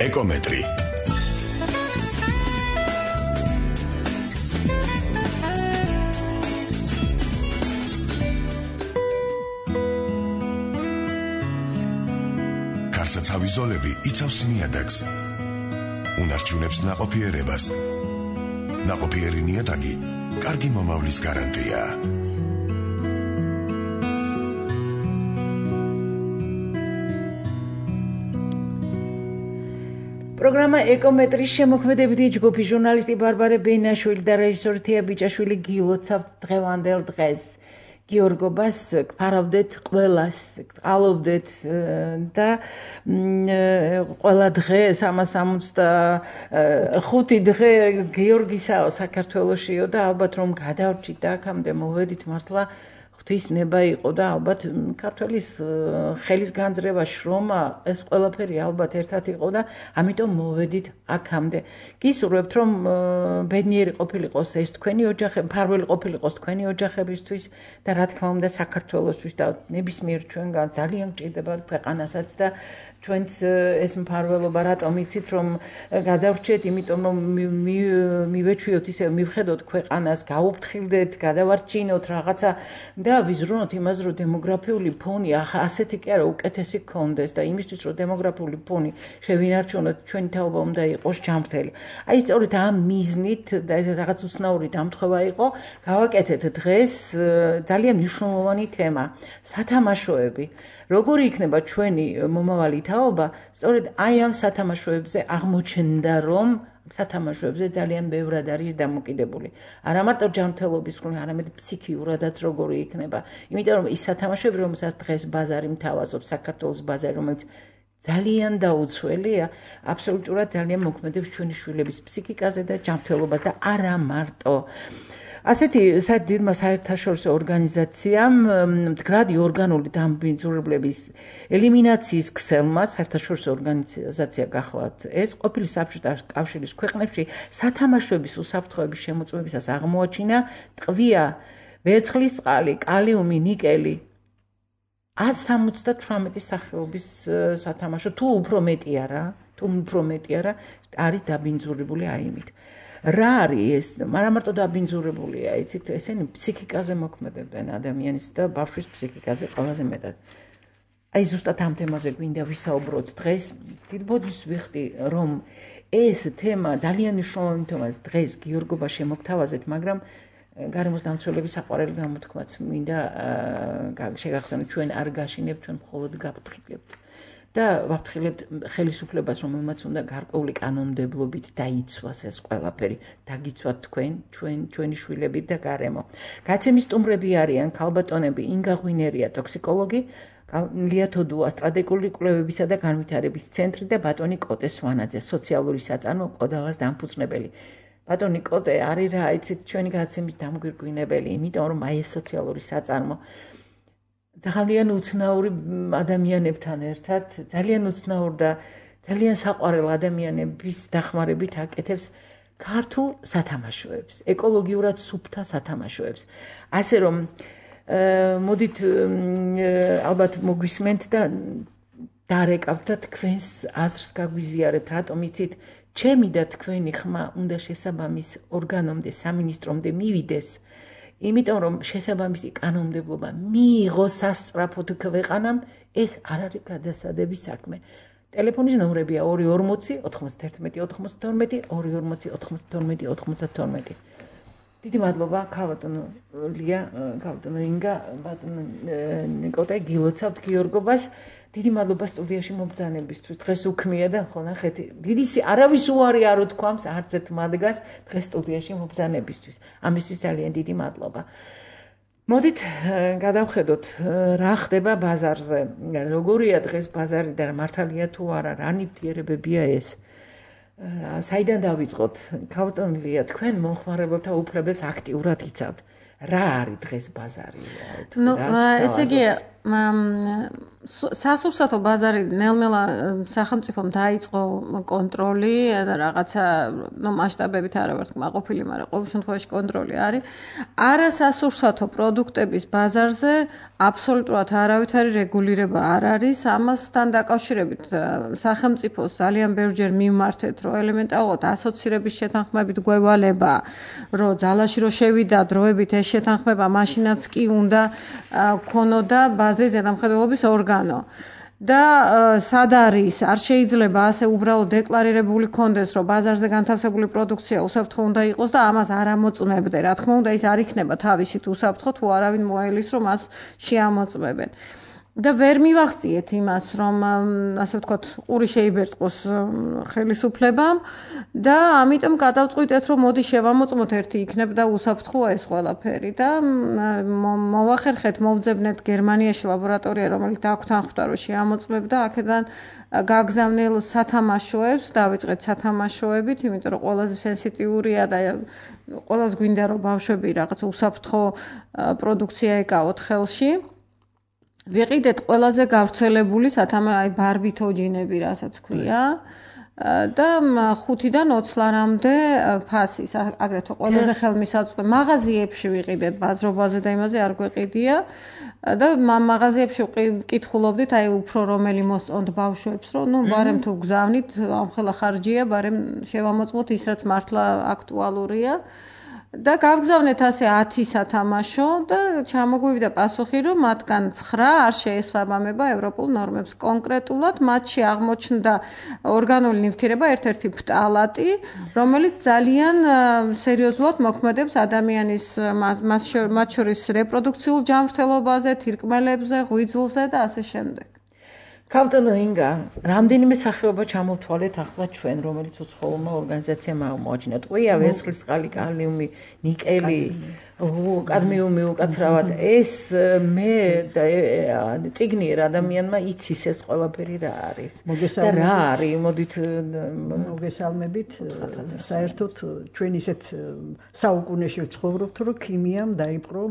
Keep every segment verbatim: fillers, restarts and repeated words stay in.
ეკომეტრი. კარსაცავი ზოლები იცავს ნიადაგს. უნარჩუნებს ნაყოფიერებას. ნაყოფიერი ნიადაგი კარგი მომავლის გარანტია. პროგრამა ეკომეტრის შემოქმედებითი ჯგუფი ჟურნალისტი ბარბარე ბეინაშვილი და რეჟისორი თია ბიჭაშვილი გილოცავთ დღევანდელ დღეს. გიორგობას გფარავდეთ ყველას, გწყალობდეთ და ყველა დღე სამას ორმოცდახუთი დღე გიორგისაო საქართველოშიო და ალბათ რომ გადავრჩით და აქამდე მოვედით მართლა ღვთის ნება იყო და ალბათ ქართველის ხელის განძრევა შრომა ეს ყველაფერი ალბათ ერთად იყო და ამიტომ მოვედით აქამდე. გისურვებთ რომ ბედნიერი ყოფილიყოს ეს თქვენი ოჯახები, მფარველი ყოფილიყოს თქვენი ოჯახებისთვის და რა თქმა უნდა საქართველოსთვის და ნებისმიერ ჩვენგან ძალიან გჭირდებათ ქვეყანასაც და ჩვენც ეს მფარველობა რატომ იცით რომ გადავრჩეთ, იმიტომ რომ მივეჩვიოთ ისე მივხედოთ ქვეყანას, გაუფრთხილდეთ, გადავარჩინოთ რაღაცა და ვიზრუნოთ იმას რომ დემოგრაფიული ფონი ასეთი კი არა უკეთესი გქონდეს და იმისთვის რომ დემოგრაფიული ფონი შევინარჩუნოთ ჩვენი თაობა უნდა იყოს ჯანმრთელი. აი სწორედ ამ მიზნით და ეს რაღაც უცნაური დამთხევა იყო, გავაკეთეთ დღეს ძალიან მნიშვნელოვანი თემა სათამაშოები. როგორი იქნება ჩვენი მომავალი თაობა, სწორედ აი ამ სათამაშოებზე აღმოჩნდა რომ სათამაშოებზე ძალიან ბევრად არის დამოკიდებული. არა მარტო ჯანმრთელობის მხრივ, არამედ ფსიქიურადაც როგორი იქნება. იმიტომ რომ ის სათამაშოები, რომელსაც დღეს ბაზარი მთავაზობს, საქართველოს ბაზარი, რომელიც ძალიან დაუცველია, აბსოლუტურად ძალიან მოქმედებს ჩვენი შვილების ფსიქიკაზე და ჯანმრთელობას და არა მარტო. ასეთი დიდმა საერთაშორისო ორგანიზაციამ მდგრადი ორგანული დამბინძურებლების ელიმინაციის ქსელმა საერთაშორისო ორგანიზაცია გახლავთ ეს ყოფილი საბჭოთა კავშირის ქვეყნებში სათამაშოების უსაფრთხოების შემოწმებისას აღმოაჩინა ტყვია, ვერცხლის წყალი, კალიუმი, ნიკელი სამოცდათვრამეტი სახეობის სათამაშო თუ უფრო მეტია რა, თუ უფრო მეტია რა, არის დაბინძურებული აიმით. რა არის ეს? არა მარტო დაბინძურებულია, იცით, ესენი ფსიქიკაზე მოქმედებენ ადამიანის და ბავშვის ფსიქიკაზე ყველაზე მეტად. აი ზუსტად ამ თემაზე გვინდა ვისაუბროთ დღეს. დიდ ბოძის ვიხდი, რომ ეს თემა ძალიან მნიშვნელოვანი თემაა დღეს გიორგობა შემოგთავაზეთ, მაგრამ გარემოს დამცველების საყვარელი გამოთქმაც მინდა შეგახსენოთ, ჩვენ არ გაშინებთ, ჩვენ მხოლოდ გავფრთხილებთ. და ვაფრთხილებთ ხელისუფლებას, რომელმაც უნდა გარკვეული კანონმდებლობით დაიცვას ეს ყველაფერი, დაგიცვათ თქვენ, ჩვენ, ჩვენი შვილები და გარემო. გაცემის სტუმრები არიან ქალბატონები ინგა ღვინერია, ტოქსიკოლოგი, ლია თოდუა, სტრატეგიული კვლევებისა და განვითარების ცენტრი და ბატონი კოტე სვანაძე, სოციალური საწარმო კოდალას დამფუძნებელი. ბატონი კოტე არის რა, იცით, ჩვენი გაცემის დამგვირგვინებელი, იმიტომ რომ აი ეს სოციალური საწარმო ძალიან უცნაური ადამიანებთან ერთად, ძალიან უცნაურ და ძალიან საყვარელ ადამიანების დახმარებით აკეთებს ქართულ სათამაშოებს, ეკოლოგიურად სუფთა სათამაშოებს. ასე რომ მოდით ალბათ მოგვისმენთ და დარეკავთ და თქვენს აზრს გაგვიზიარებთ, რატომ იცით, ჩემი და თქვენი ხმა უნდა შესაბამის ორგანომდე, სამინისტრომდე მივიდეს. იმიტომ რომ შესაბამისი კანონმდებლობა მიიღოს სასწრაფოდ ქვეყანამ, ეს არ არის გადასადების საქმე. ტელეფონის ნომრებია ორი ორმოცი ოთხმოცდაერთმეტი ოთხმოცდათორმეტი ორი ორმოცი ოთხმოცდათორმეტი ოთხმოცდათორმეტი. დიდი მადლობა ქალბატონო ლია, ქალბატონო ინგა, ბატონო ნიკოტე გილოცავთ გიორგობას. დიდი მადლობა სტუდიაში მომბრძანებისთვის. დღეს უქმია და ხო ნახეთ, დიდი არავის უარი არ უთქვამს არც ერთ მათგანს დღეს სტუდიაში მომბრძანებისთვის. ამისთვის ძალიან დიდი მადლობა. მოდით გადავხედოთ რა ხდება ბაზარზე. როგორია დღეს ბაზარი და მართალია თუ არა, რა ნივთიერებებია ეს. საიდან დავიწყოთ? ქალბატონო ლია, თქვენ მომხმარებელთა უფლებებს აქტიურად იცავთ. რა არის დღეს ბაზარი? ნუ ესე იგი სასურსათო ბაზარი ნელ-ნელა სახელმწიფომ დაიწყო კონტროლი და რაღაცა ნუ მასშტაბებით არა ვარ თქმაყოფილი, მაგრამ ყოველ შემთხვევაში კონტროლი არის. არა სასურსათო პროდუქტების ბაზარზე აბსოლუტურად არავითარი რეგულირება არ არის. ამასთან დაკავშირებით სახელმწიფოს ძალიან ბევრჯერ მიმართეთ, რომ ელემენტარულად ასოცირების შეთანხმებით გვევალება, რომ ძალაში რო შევიდა დროებით ეს შეთანხმება, მაშინაც კი უნდა ქონოდა ბაზრის ზედამხედველობის ორგანო. და სად არის, არ შეიძლება ასე უბრალოდ დეკლარირებული კონდეს, რომ ბაზარზე განთავსებული პროდუქცია უსაფრთხო უნდა იყოს და ამას არ ამოწმებდე. რა თქმა უნდა, ის არ იქნება თავისით უსაფრთხო, თუ არავინ მოელის, რომ მას შეამოწმებენ. და ვერ მივახციეთ იმას, რომ ასე ვთქვათ, ყური შეიბერტყოს ხელისუფლებამ და ამიტომ გადავწყვიტეთ, რომ მოდი შევამოწმოთ ერთი იქნებ და უსაფრთხოა ეს ყველაფერი და მოვახერხეთ, მოვძებნეთ გერმანიაში ლაბორატორია, რომელიც დაგვთანხმდა, რომ შეამოწმებდა აქედან გაგზავნილ სათამაშოებს, დავიწყეთ სათამაშოებით, იმიტომ რომ ყველაზე სენსიტიურია და ყველას გვინდა რომ ბავშვები რაღაც უსაფრთხო პროდუქცია ეკავოთ ხელში. ვიყიდეთ ყველაზე გავრცელებული სათამა აი ბარბითოჯინები, რასაც ქვია და ხუთიდან ოცლამდე ფასის, აგრეთვე ყველაზე ხელმისაწვდომი მაღაზიებში ვიყიდეთ ბაზრობაზე და იმაზე არ გვეყიდია და მაღაზიებში ვკითხულობდით აი უფრო რომელი მოსწონთ ბავშვებს, რომ ნუ ბარემ თუ გზავნით, ამხელა ხარჯია, ბარემ შევამოწმოთ ის რაც მართლა აქტუალურია. და გავგზავნეთ ასე ათი სათამაშო და ჩამოგვივიდა პასუხი, რომ მათგან ცხრა არ შეესაბამება ევროპულ ნორმებს. კონკრეტულად მათში აღმოჩნდა ორგანული ნივთიერება ერთ-ერთი ფტალატი, რომელიც ძალიან სერიოზულად მოქმედებს ადამიანის მათ შორის რეპროდუქციულ ჯანმრთელობაზე, თირკმელებზე, ღვიძლზე და ასე შემდეგ. ქავტონო ინგა, რამდენიმე სახეობა ჩამოვთვალეთ ახლა ჩვენ, რომელიც უცხოურმა ორგანიზაციამ აღმოაჩინა. ტყვია, ვერცხლისწყალი, კალიუმი, ნიკელი, კადმიუმი უკაცრავად. ეს მე წიგნიერ ადამიანმა იცის ეს ყველაფერი რა არის. და რა არის? მოდით მოგესალმებით. საერთოდ ჩვენ ისეთ საუკუნეში ვცხოვრობთ, რომ ქიმიამ დაიპყრო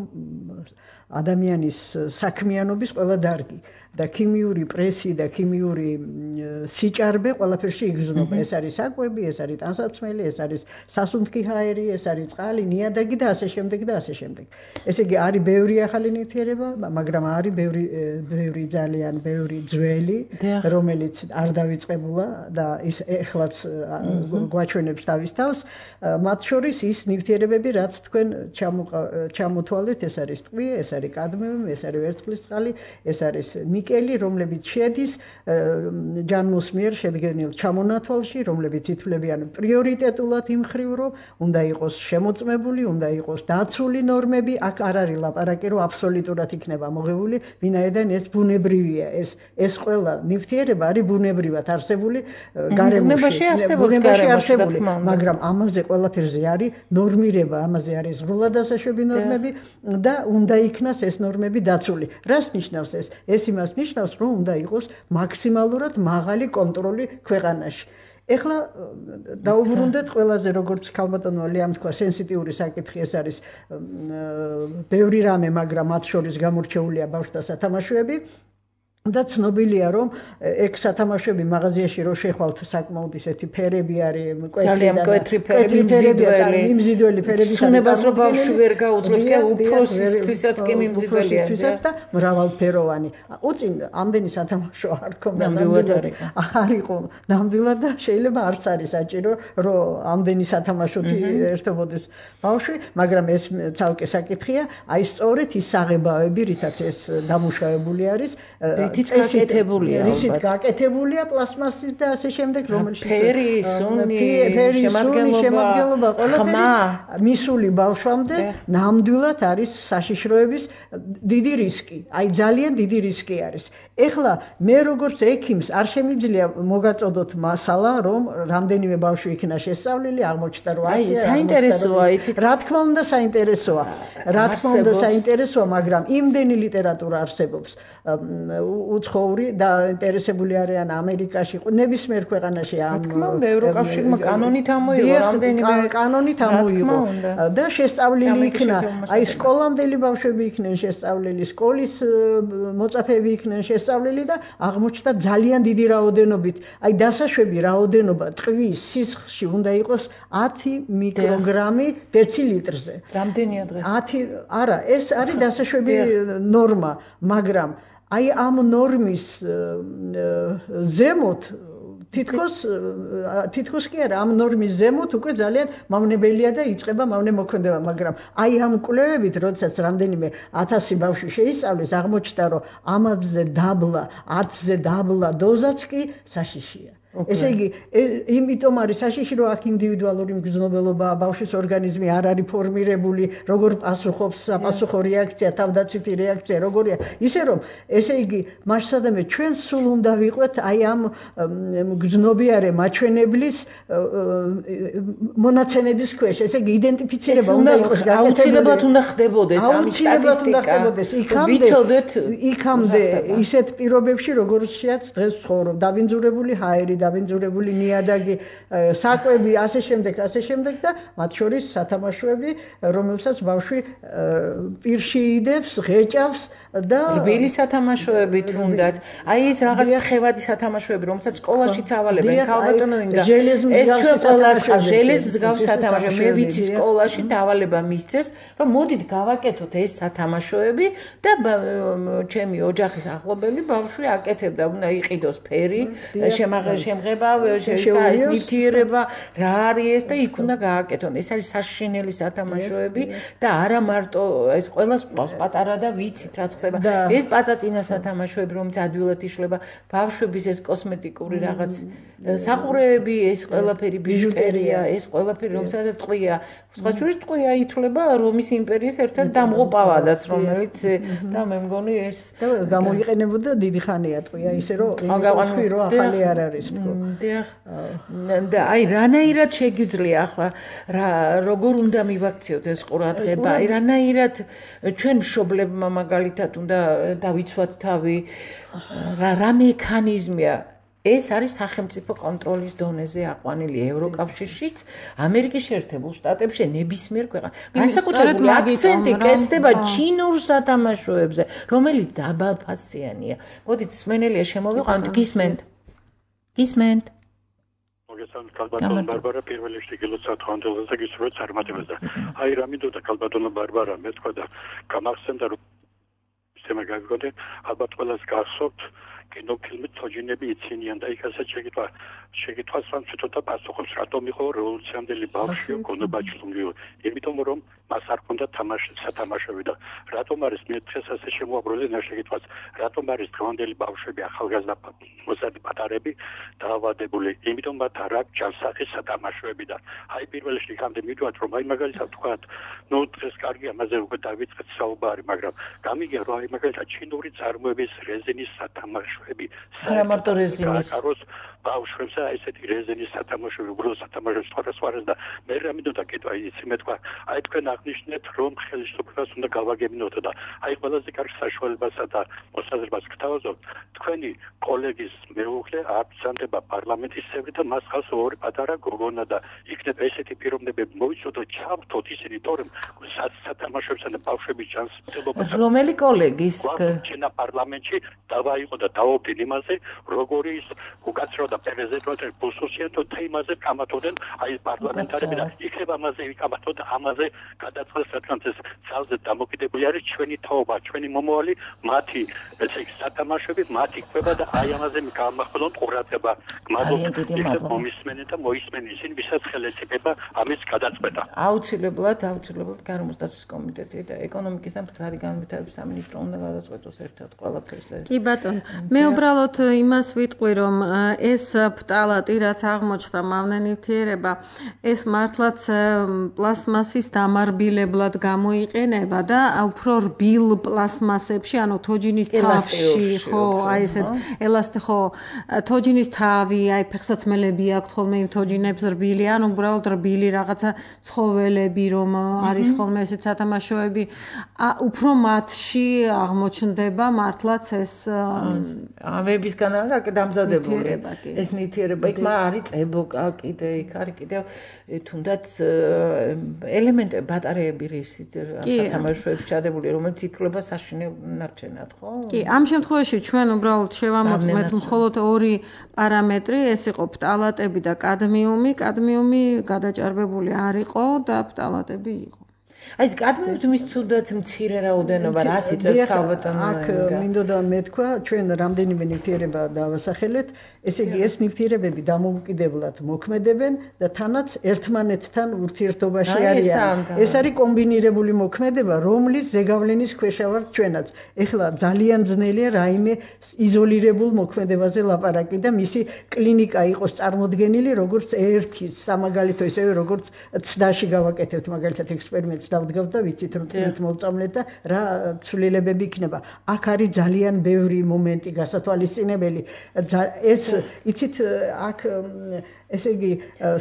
ადამიანის საქმიანობის ყველა დარგი. და ქიმიური პრესი და ქიმიური სიჭარბე ყველაფერში იგრძნობა. ეს არის საკვები, ეს არის ტანსაცმელი, ეს არის სასუნთქი ჰაერი, ეს არის წყალი, ნიადაგი და ასე შემდეგ და ასე შემდეგ. ესე იგი არის ბევრი ახალი ნივთიერება, მაგრამ არის ბევრი ბევრი ძალიან ბევრი ძველი, რომელიც არ დავიწყებულა და ის ეხლაც გვაჩვენებს თავის თავს. მათ შორის ის ნივთიერებები, რაც თქვენ ჩამოთვალეთ, ეს არის ტყვია, ეს არის კადმიუმი, ეს არის ვერცხლისწყალი, ეს არის ნიკელი, რომლებიც შედის ჯანმოს მიერ შედგენილ ჩამონათვალში, რომლებიც ითვლებიან პრიორიტეტულად იმ ხრივ, რომ უნდა იყოს შემოწმებული, უნდა იყოს დაცული ნორმები, აქ არ არის ლაპარაკი, რომ აბსოლუტურად იქნება მოღებული, ვინაიდან ეს ბუნებრივია, ეს ეს ყველა ნივთიერება არის ბუნებრივად არსებული გარემოში, ბუნებაში არსებული, მაგრამ ამაზე ყველაფერზე არის ნორმირება, ამაზე არის ზრულად დასაშვები ნორმები და უნდა იქნას ეს ნორმები დაცული. რას ნიშნავს ეს? ეს იმას ნიშნავს, რომ უნდა იყოს მაქსიმალურად მაღალი კონტროლი ქვეყანაში. ეხლა დაუბრუნდეთ ყველაზე როგორც ქალბატონო ლიამ თქვა, სენსიტიური საკითხი ეს არის ბევრი რამე, მაგრამ მათ შორის გამორჩეულია ბავშვთა სათამაშოები. და ცნობილია, რომ ეგ სათამაშოები მაღაზიაში რო შეხვალთ, საკმაოდ ისეთი ფერები არის, ძალიან მკვეთრი ფერები, მიმზიდველი, მიმზიდველი ფერები. ცნებას რო ბავშვი ვერ გაუძლებს, კი უფროსისთვისაც კი მიმზიდველია და მრავალფეროვანი. უწინ ამდენი სათამაშო არ ქონდა, არ იყო ნამდვილად და შეიძლება არც არის საჭირო, რომ ამდენი სათამაშოთი ერთობოდეს ბავშვი, მაგრამ ეს ცალკე საკითხია, აი სწორედ ის საღებავები, რითაც ეს დამუშავებული არის, რითიც გაკეთებულია, რითიც გაკეთებულია პლასმასის და ასე შემდეგ, რომელშიც ფერი, სუნი, შემადგენლობა, ხმა მისული ბავშვამდე ნამდვილად არის საშიშროების დიდი რისკი. აი ძალიან დიდი რისკი არის. ეხლა მე როგორც ექიმს არ შემიძლია მოგაწოდოთ მასალა, რომ რამდენიმე ბავშვი იქნა შესწავლილი, აღმოჩნდა რომ აი საინტერესოა, იცით, რა თქმა უნდა საინტერესოა. რა თქმა უნდა საინტერესოა, მაგრამ იმდენი ლიტერატურა არსებობს უცხოური და ინტერესებული არიან ამერიკაში, ნებისმიერ ქვეყანაში ამ თქმა უნდა, ევროკავშირმა კანონით ამოიღო, რამდენიმე კანონით ამოიღო და შესწავლილი იქნა, აი სკოლამდელი ბავშვები იქნენ შესწავლილი, სკოლის მოწაფეები იქნენ შესწავლილი და აღმოჩნდა ძალიან დიდი რაოდენობით, აი დასაშვები რაოდენობა ტყვის სისხლში უნდა იყოს ათი მიკროგრამი დეცილიტრზე. რამდენია დღეს? ათი, არა, ეს არის დასაშვები ნორმა, მაგრამ აი ამ ნორმის ზემოთ თითქოს თითქოს კი არა ამ ნორმის ზემოთ უკვე ძალიან მავნებელია და იწყება მავნე მოქმედება, მაგრამ აი ამ კვლევებით, როდესაც რამდენიმე ათასი ბავშვი შეისწავლეს, აღმოჩნდა, რომ ამაზე დაბლა, ათზე დაბლა დოზაც კი საშიშია. ესე იგი, იმიტომ არის საშიში, რომ აქ ინდივიდუალური მგრძნობელობაა, ბავშვის ორგანიზმი არ არის ფორმირებული, როგორ პასუხობს, საპასუხო რეაქცია, თავდაცვითი რეაქცია, როგორია. ისე რომ, ესე იგი, მასშტაბებად ჩვენ სულ უნდა ვიყვეთ აი ამ მგრძნობიარე მაჩვენებლის მონაცემების ქვეშ. ესე იგი, იდენტიფიცირება უნდა იყოს გაკეთებული. აუცილებლად უნდა ხდებოდეს ამის სტატისტიკა. იქამდე, იქამდე ისეთ პირობებში, როგორშიაც დღეს ცხოვრობ, დაბინძურებული ჰაერი, დაბინძურებული ნიადაგი, საკვები, ასე შემდეგ, ასე შემდეგ და მათ შორის სათამაშოები, რომელსაც ბავშვი პირში იდებს, ღეჭავს და რბილი სათამაშოები თუნდაც. აი ეს რაღაც ხევადი სათამაშოები, რომელსაც სკოლაშიც ავალებენ, ქალბატონო ინგა. ეს ჩვენ ყველას ხარ ჟელეს მსგავს სათამაშო. მე ვიცი სკოლაში დავალება მისცეს, რომ მოდით გავაკეთოთ ეს სათამაშოები და ჩემი ოჯახის ახლობელი ბავშვი აკეთებდა, უნდა იყიდოს ფერი, შემაღ შემღება, ეს ნივთიერება, რა არის ეს და იქ უნდა გააკეთონ. ეს არის საშინელი სათამაშოები და არა მარტო ეს ყველას ყავს პატარა და ვიცით რაც ხდება. ეს პაწაწინა სათამაშოები, რომელიც ადვილად იშლება, ბავშვების ეს კოსმეტიკური რაღაც საყურეები, ეს ყველაფერი ბიჟუტერია, ეს ყველაფერი რომელსაც ტყვია. სხვა შორის ტყვია ითვლება რომის იმპერიის ერთ-ერთ დამღუპავადაც, რომელიც და მე მგონი ეს გამოიყენებოდა დიდი ხანია ტყვია, ისე რომ თქვი რომ ახალი არ არის. და აი რანაირად შეგიძლია ახლა როგორ უნდა მივაქციოთ ეს ყურადღება, აი რანაირად ჩვენ მშობლებმა მაგალითად უნდა დავიცვათ თავი, რა მექანიზმია ეს არის სახელმწიფო კონტროლის დონეზე აყვანილი ევროკავშირშიც, ამერიკის შეერთებულ შტატებში, ნებისმიერ ქვეყანაში. განსაკუთრებული აქცენტი კეთდება ჩინურ სათამაშოებზე, რომელიც დაბალფასიანია. მოდით სმენელია შემოვიყვანთ, გისმენთ. გისმენთ. მოგესალმებით, ქალბატონო ბარბარა, პირველ რიგში გილოცავთ ხანდელზე და გისურვებთ წარმატებაზე. აი რა მინდოდა ქალბატონო ბარბარა, მე თქვა და გამახსენდა რომ სემა გაგიგონდეთ, ალბათ ყველას გახსოვთ კინოფილმი თოჯინები იცინიან და იქ ასე შეგიტყვა შეგიტყვას რომ ცოტა პასუხობს რატომ იყო რევოლუციამდელი ბავშვი გონებაჩლუნგიო იმიტომ რომ მას არ ჰქონდა თამაში სათამაშოები და რატომ არის მე დღეს ასე შემოაბრუნე შეგიტყვას რატომ არის დღევანდელი ბავშვები ახალგაზრდა მოსადი პატარები დაავადებული იმიტომ მათ არ აქვს ჯანსაღი სათამაშოები და აი პირველ რიგში ხამდე მივიდვართ რომ აი მაგალითად თქვათ ნუ დღეს კარგი ამაზე უკვე დავიწყეთ საუბარი მაგრამ გამიგია რომ აი მაგალითად ჩინური წარმოების რეზინის სათამაშოები არა მარტო რეზინის ბავშვებს ესეთი რეზინის სათამაშოები უბრალოდ სათამაშოებს სხვადასხვას და მე რა მინდოდა კითხვა იცი მე თქვა აი თქვენ აღნიშნეთ რომ ხელისუფლებას უნდა გავაგებინოთ და აი ყველაზე კარგი საშუალებასა და მოსაზრებას გთავაზობთ თქვენი კოლეგის მეუღლე აბსანდება პარლამენტის წევრი და მას ხავს ორი პატარა გოგონა და იქნება ესეთი პიროვნებები მოიცოდოთ ჩავთოთ ისინი თორემ სათამაშოებსა და ბავშვების ჯანმრთელობას რომელი კოლეგის ჩინა პარლამენტში დავაიყო და დაობდინ იმაზე როგორი ის უკაცრავ და პრეზიდენტი ბუსუსიან თუ თემაზე კამათოდენ აი პარლამენტარები და იქნება ამაზე ვიკამათო და ამაზე გადაწყდეს რადგან ეს ძალზე დამოკიდებული არის ჩვენი თაობა ჩვენი მომავალი მათი ესე იგი სათამაშოები მათი კვება და აი ამაზე გამახვილონ ყურადღება გმადლობთ მომისმენე და მოისმენე ისინი ვისაც ხელისება ამის გადაწყვეტა აუცილებლად აუცილებლად გარემოსდაცვის კომიტეტი და ეკონომიკის და მდგრადი განვითარების სამინისტრო უნდა გადაწყვეტოს ერთად ყველაფერს ეს კი ბატონო მე უბრალოდ იმას ვიტყვი რომ ეს ეს ფტალატი რაც აღმოჩნდა მავნე ნივთიერება ეს მართლაც პლასმასის დამარბილებლად გამოიყენება და უფრო რბილ პლასმასებში ანუ თოჯინის თავში ხო აი ესეთ ელასტი ხო თოჯინის თავი აი ფეხსაცმელები აქვს ხოლმე იმ თოჯინებს რბილი ან უბრალოდ რბილი რაღაცა ცხოველები რომ არის ხოლმე ესეთ სათამაშოები უფრო მათში აღმოჩნდება მართლაც ეს ავებისგან აქვს დამზადებული ეს ნივთიერება იქ არის წებოკა კიდე იქ არის კიდევ თუნდაც ელემენტები ბატარეები რისიც სათამაშოებში ჩადებული რომელიც ითვლება საშინელ ნარჩენად ხო კი ამ შემთხვევაში ჩვენ უბრალოდ შევამოწმეთ მხოლოდ ორი პარამეტრი ეს იყო ფტალატები და კადმიუმი კადმიუმი გადაჭარბებული არ იყო და ფტალატები იყო აი ეს კადმიუმის თუნდაც მცირე რაოდენობა რას იწევს თავბატონო აქ მინდოდა მეთქვა ჩვენ რამდენიმე ნივთიერება დავასახელეთ ესე იგი ეს ნივთიერებები დამოუკიდებლად მოქმედებენ და თანაც ერთმანეთთან ურთიერთობაში არიან ეს არის კომბინირებული მოქმედება რომლის ზეგავლენის ქვეშ ვართ ჩვენაც ეხლა ძალიან ძნელია რაიმე იზოლირებულ მოქმედებაზე ლაპარაკი და მისი კლინიკა იყოს წარმოდგენილი როგორც ერთი სამაგალითო ისევე როგორც ცდაში გავაკეთებთ მაგალითად ექსპერიმენტს დავდგავთ და ვიცით რომ თვით მოვწამლეთ და რა ცვლილებები იქნება აქ არის ძალიან ბევრი მომენტი გასათვალისწინებელი ეს იცით აქ ესე იგი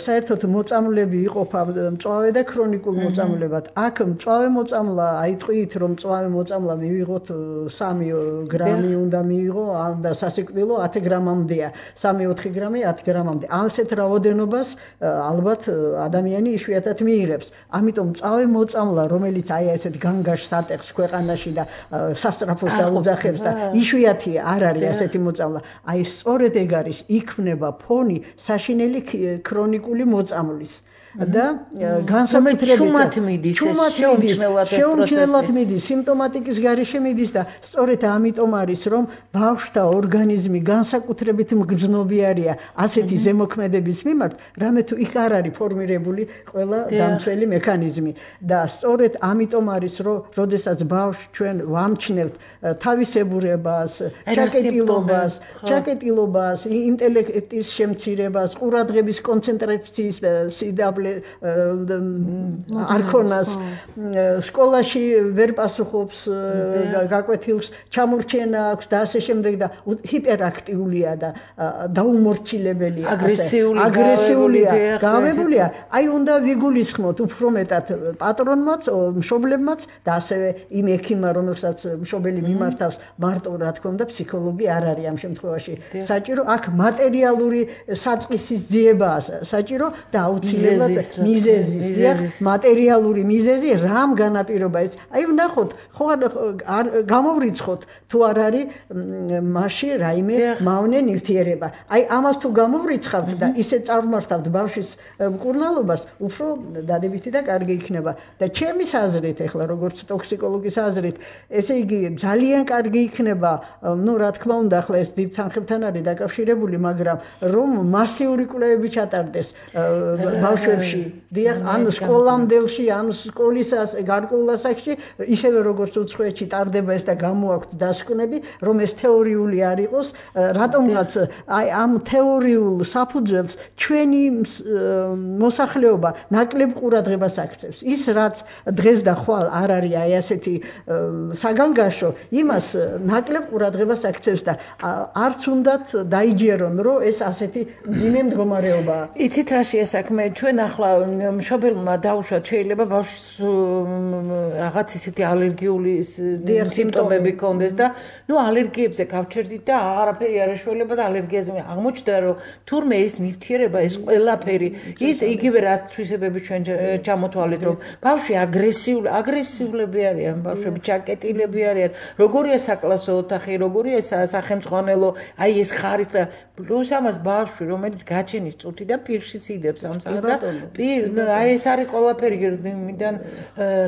საერთოდ მოწამლები იყოფა მწვავე და ქრონიკულ მოწამლებად აქ მწვავე მოწამლა აიტყვით რომ მწვავე მოწამლა მივიღოთ სამი გრამი უნდა მიიღო და სასიკვდილო ათი გრამამდეა სამი ოთხი გრამი ათი გრამამდე ასეთ რაოდენობას ალბათ ადამიანი იშვიათად მიიღებს ამიტომ მწვავე მოწამლა რომელიც აი ესეთ განგაშ სატეხს ქვეყანაში და სასტრაფოს დაუძახებს და იშვიათია არ არის ასეთი მოწამლა აი სწორედ ეგ არის იქმნება ფონი საშინელი ქრონიკული მოწამვლის და განსაკუთრებით შუმად მიდის შეუმჩნევლად მიდის სიმპტომატიკის გარეშე მიდის და სწორედ ამიტომ არის რომ ბავშვთა ორგანიზმი განსაკუთრებით მგრძნობიარია ასეთი ზემოქმედების მიმართ რამე თუ იქ არ არის ფორმირებული ყველა დამცველი მექანიზმი და სწორედ ამიტომ არის რომ როდესაც ბავშვს ჩვენ ვამჩნევთ თავისებურებას ჩაკეტილობას ჩაკეტილობას ინტელექტის შემცირებას ყურადღების კონცენტრაციის სიდაბლე არქონას სკოლაში ვერ პასუხობს გაკვეთილს ჩამორჩენა აქვს და ასე შემდეგ და ჰიპერაქტიულია და დაუმორჩილებელია აგრესიული აგრესიულია გავებულია აი უნდა ვიგულისხმოთ უფრო მეტად პატრონმაც მშობლებმაც და ასევე იმ ექიმმა რომელსაც მშობელი მიმართავს მარტო რა თქმა უნდა ფსიქოლოგი არ არის ამ შემთხვევაში საჭირო აქ მატერიალური საწყისის ძიებაა საჭირო და აუცილებლად მიზეზი მატერიალური მიზეზი რამ განაპირობა ეს აი ვნახოთ ხო არ გამოვრიცხოთ თუ არ არის მასში რაიმე მავნე ნივთიერება აი ამას თუ გამოვრიცხავთ და ისე წარმართავთ ბავშვის მკურნალობას უფრო დადებითი და კარგი იქნება და ჩემის აზრით ეხლა როგორც ტოქსიკოლოგის აზრით ესე იგი ძალიან კარგი იქნება ну რა თქმა უნდა ახლა ეს დიდ თანხებთან არის დაკავშირებული მაგრამ რომ მასიური კვლევები ჩატარდეს ბავშვებში დიახ ან სკოლამდელში ან სკოლის გარკვეულ ასაკში ისევე როგორც უცხოეთში ტარდება ეს და გამოაქვთ დასკვნები რომ ეს თეორიული არ იყოს რატომღაც აი ამ თეორიულ საფუძველს ჩვენი მოსახლეობა ნაკლებ ყურადღებას აქცევს ის რაც დღეს და ხვალ არ არის აი ასეთი საგანგაშო იმას ნაკლებ ყურადღებას აქცევს და არც უნდათ დაიჯერონ რომ ეს ასეთი ძიმე მდგომარეობაა იცით რა შეესაქმე ჩვენ ახლა მშობელმა დაუშვათ შეიძლება ბავშვს რაღაც ისეთი ალერგიული სიმპტომები ქონდეს და ნუ ალერგიებზე გავჩერდით და აღარაფერი არ ეშველება და ალერგიაზე აღმოჩნდა რომ თურმე ეს ნივთიერება ეს ყველაფერი ის იგივე რაც თვისებები ჩვენ ჩამოთვალეთ რომ ბავშვი აგრესიული აგრესიულები არიან ბავშვები ჩაკეტილები არიან როგორია საკლასო ოთახი როგორია სახელმწიფო აი ეს ხარიც პლუს ამას ბავშვი რომელიც გაჩენის წუთიდან პირშიც იდებს ამ საათს და აი ეს არის ყველაფერი მიდან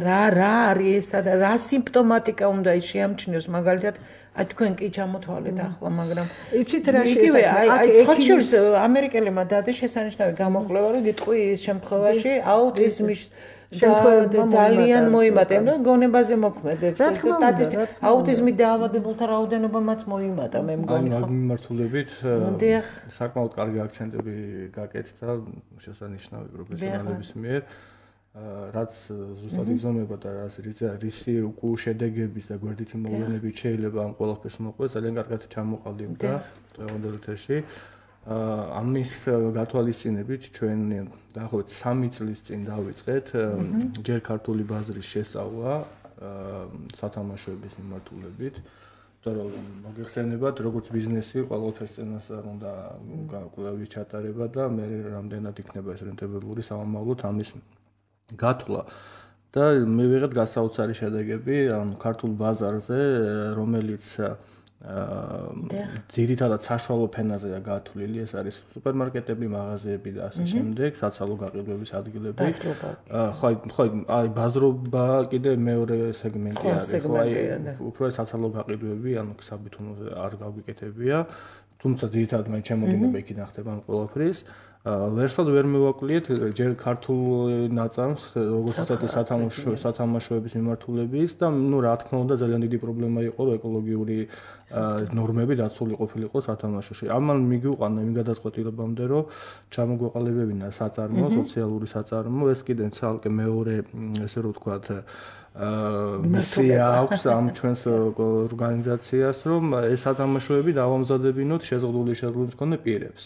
რა რა არის ესა და რა სიმპტომატიკა უნდა შეამჩნიოს მაგალითად აი თქვენ კი ჩამოთვალეთ ახლა მაგრამ იცით რა შეიძლება აი ცოტა ამერიკელებმა დადეს შესანიშნავი გამოკვლევა რომ გიტყვი ის შემთხვევაში აუტიზმის ძალიან მოიმატა, ნუ გონებაზე მოქმედებს ეს და სტატისტიკა აუტიზმით დაავადებულთა რაოდენობამაც მოიმატა, მე მგონი ხო. აი, მიმართულებით საკმაოდ კარგი აქცენტები გაკეთდა შესანიშნავი პროფესიონალების მიერ. რაც ზუსტად იზომება და რაც რისი უკუ შედეგების და გვერდითი მოვლენებით შეიძლება ამ ყველაფერს მოყვეს, ძალიან კარგად ჩამოყალიბდა დღევანდელ ეთერში. ამის გათვალისწინებით ჩვენ დაახლოებით სამი წლის წინ დავიწყეთ ჯერ ქართული ბაზრის შესწავლა სათამაშოების მიმართულებით. Იმიტომ რომ მოგეხსენებათ, როგორც ბიზნესი ყველაფერს წინას არ უნდა კვლევის ჩატარება და მე რამდენად იქნება ეს რენტაბელური სამომავლოდ ამის გათვლა და მე ვიღეთ გასაოცარი შედეგები ანუ ქართულ ბაზარზე, რომელიც ძირითადად საშუალო ფენაზეა გათვლილი, ეს არის სუპერმარკეტები, მაღაზიები და ასე შემდეგ, საცალო გაყიდვების ადგილები. ხო, ხო, აი ბაზრობა კიდე მეორე სეგმენტი არის, ხო, აი უფრო საცალო გაყიდვები, ანუ საბითუნოზე არ გავიკეთებია, თუმცა ძირითადად მე ჩემოგინება იქიდან ხდება ამ ყველაფრის. ვერსად ვერ მივაკვლიეთ ჯერ ქართულ ნაწარმს, როგორც ასეთი სათამაშო სათამაშოების მიმართულების და ნუ რა თქმა უნდა ძალიან დიდი პრობლემა იყო რომ ეკოლოგიური ნორმები დაცული ყოფილიყო სათამაშოში. ამან მიგვიყვანა იმ გადაწყვეტილებამდე რომ ჩამოგვეყალიბებინა საწარმო, სოციალური საწარმო, ეს კიდე ცალკე მეორე ესე რომ ვთქვათ მისია აქვს ამ ჩვენს ორგანიზაციას, რომ ეს სათამაშოები დავამზადებინოთ შეზღუდული შეძლოს მქონე პირებს.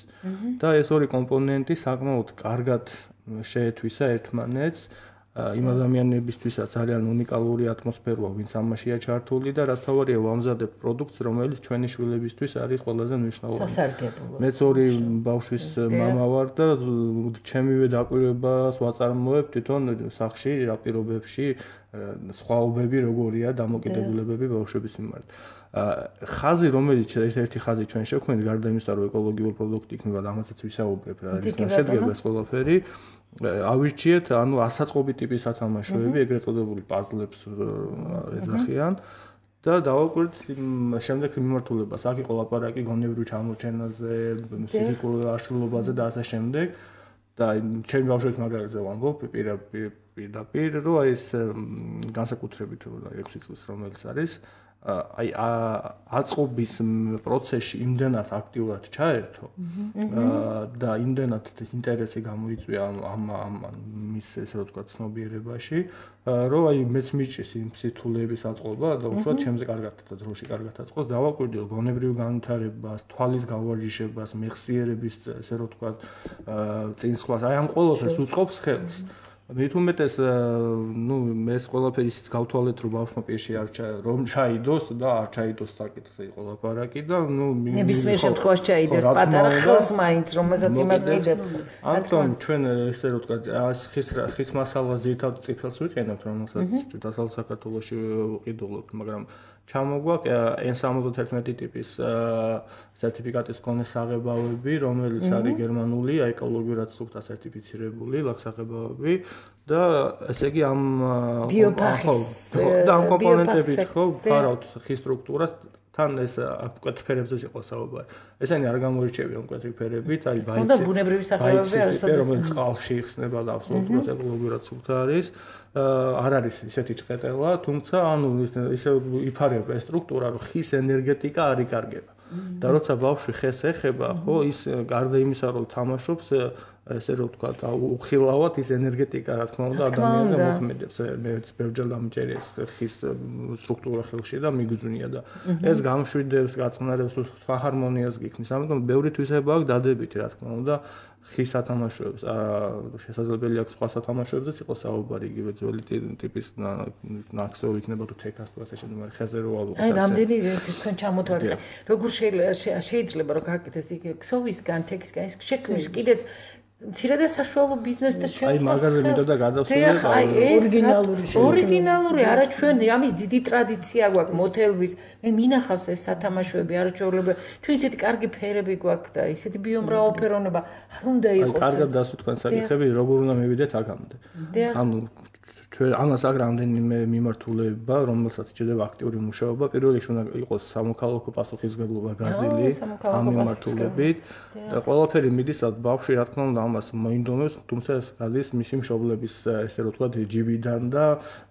და ეს ორი კომპონენტი საკმაოდ კარგად შეეთვისა ერთმანეთს იმ ადამიანებისთვისაც ძალიან უნიკალური ატმოსფეროა, ვინც ამაშია ჩართული და რაც თავარია ვამზადებ პროდუქტს, რომელიც ჩვენი შვილებისთვის არის ყველაზე მნიშვნელოვანი. სასარგებლო. მეც ორი ბავშვის მამა ვარ და ჩემივე დაკვირვებას ვაწარმოებ თვითონ სახში, რა პირობებში სხვაობები როგორია დამოკიდებულებები ბავშვების მიმართ. ხაზი რომელიც ერთ-ერთი ხაზი ჩვენ შევქმნით გარდა იმისა რომ ეკოლოგიური პროდუქტი იქნება და ამასაც ვისაუბრებ რა არის შედგება ეს ყველაფერი ავირჩიეთ ანუ ასაწყობი ტიპის სათამაშოები ეგრეთ წოდებული პაზლებს ეძახიან და დავაკვირდით შემდეგ მიმართულებას აქ იყო ლაპარაკი გონებრივ ჩამორჩენაზე ფიზიკურ აშლილობაზე და ასე შემდეგ და ჩემი ბავშვების მაგალითზე ვამბობ პირდაპირ რომ აი ეს განსაკუთრებით ექვსი წლის რომელიც არის აი აწყობის პროცესში იმდენად აქტიურად ჩაერთო და იმდენად ეს ინტერესი გამოიწვია ამ ამ მის ესე რომ ვთქვათ ცნობიერებაში რომ აი მეც მიჭის იმ სიტულების აწყობა და უშუალოდ ჩემზე კარგად და დროში კარგად აწყოს დავაკვირდი რომ გონებრივ განვითარებას, თვალის გავარჯიშებას, მეხსიერების ესე რომ ვთქვათ წინსვლას აი ამ ყველაფერს უწყობს ხელს მით უმეტეს ნუ ეს ყველაფერი ისიც გავთვალეთ რომ ბავშვმა პირში არ რომ ჩაიდოს და არ ჩაიდოს საკითხზე იყო ლაპარაკი და ნუ ნებისმიერ შემთხვევაში ჩაიდეს პატარა ხელს მაინც რომელსაც იმას მიდებს ამიტომ ჩვენ ესე რომ ვთქვათ ხის ხის მასალას ძირითადად წიფელს ვიყენებთ რომელსაც დასავლეთ საქართველოში ვყიდულობთ მაგრამ ჩამოგვაქვს ენ სამოცდაერთმეტი ტიპის სერტიფიკატის მქონე საღებავები, რომელიც არის გერმანული, ეკოლოგიურად სუფთა სერტიფიცირებული ლაქსაღებავები და ესე იგი ამ და ამ კომპონენტებით ხო ფარავთ ხის სტრუქტურას თან ეს მკვეთრი ფერებზე იყო საუბარი. ესენი არ გამოირჩევიან მკვეთრი ფერებით, აი ბაიცი. და ბუნებრივი სახეობები არსებობს. რომელიც წყალში იხსნება და აბსოლუტურად ეკოლოგიურად სუფთა არის. არ არის ისეთი ჭყეტელა, თუმცა ანუ ისე იფარება ეს სტრუქტურა, რომ ხის ენერგეტიკა არ იკარგება. და როცა ბავშვი ხეს ეხება, ხო, ის გარდა იმისა, რომ თამაშობს, ესე რომ ვთქვათ, უხილავად ის ენერგეტიკა, რა თქმა უნდა, ადამიანზე მოქმედებს. მეც ბევრჯერ დამჭერი ეს ხის სტრუქტურა ხელში და მიგძვნია და ეს გამშვიდებს, გაწნარებს, სხვა ჰარმონიას გიქმნის. ამიტომ ბევრი თვისება აქვს დადებითი, რა თქმა უნდა. ხის სათამაშოებს, შესაძლებელი აქვს სხვა სათამაშოებზეც იყოს საუბარი, იგივე ძველი ტიპის ნაკსოვი იქნება თუ თექას თუ ასე შემდეგ, მაგრამ ხეზე რო ავიღოთ. აი, რამდენი თქვენ ჩამოთვალეთ. როგორ შეიძლება რომ გაკეთდეს იქ ქსოვისგან, თექისგან ის შექმნის კიდეც მცირე და საშუალო ბიზნესთა შექმნა. აი, მაგაზე მინდა და გადავსულიყო ორიგინალური. ორიგინალური, არა ჩვენ ამის დიდი ტრადიცია გვაქვს მოთელვის. მე მინახავს ეს სათამაშოები არაჩვეულებრივი. ჩვენ ისეთი კარგი ფერები გვაქვს და ისეთი ბიომრავალფეროვნება არ უნდა იყოს. აი, კარგად დასვით თქვენ საკითხები, როგორ უნდა მივიდეთ აქამდე. ანუ ჩვენ ამას აქ რამდენიმე მიმართულება, რომელსაც შეიძლება აქტიური მუშაობა, პირველ რიგში უნდა იყოს სამოქალაქო პასუხისმგებლობა გაზრდილი ამ მიმართულებით და ყველაფერი მიდის ბავშვი, რა თქმა უნდა, ამას მოინდომებს, თუმცა ეს გადის მისი მშობლების, ესე რომ ვთქვათ, ჯიბიდან და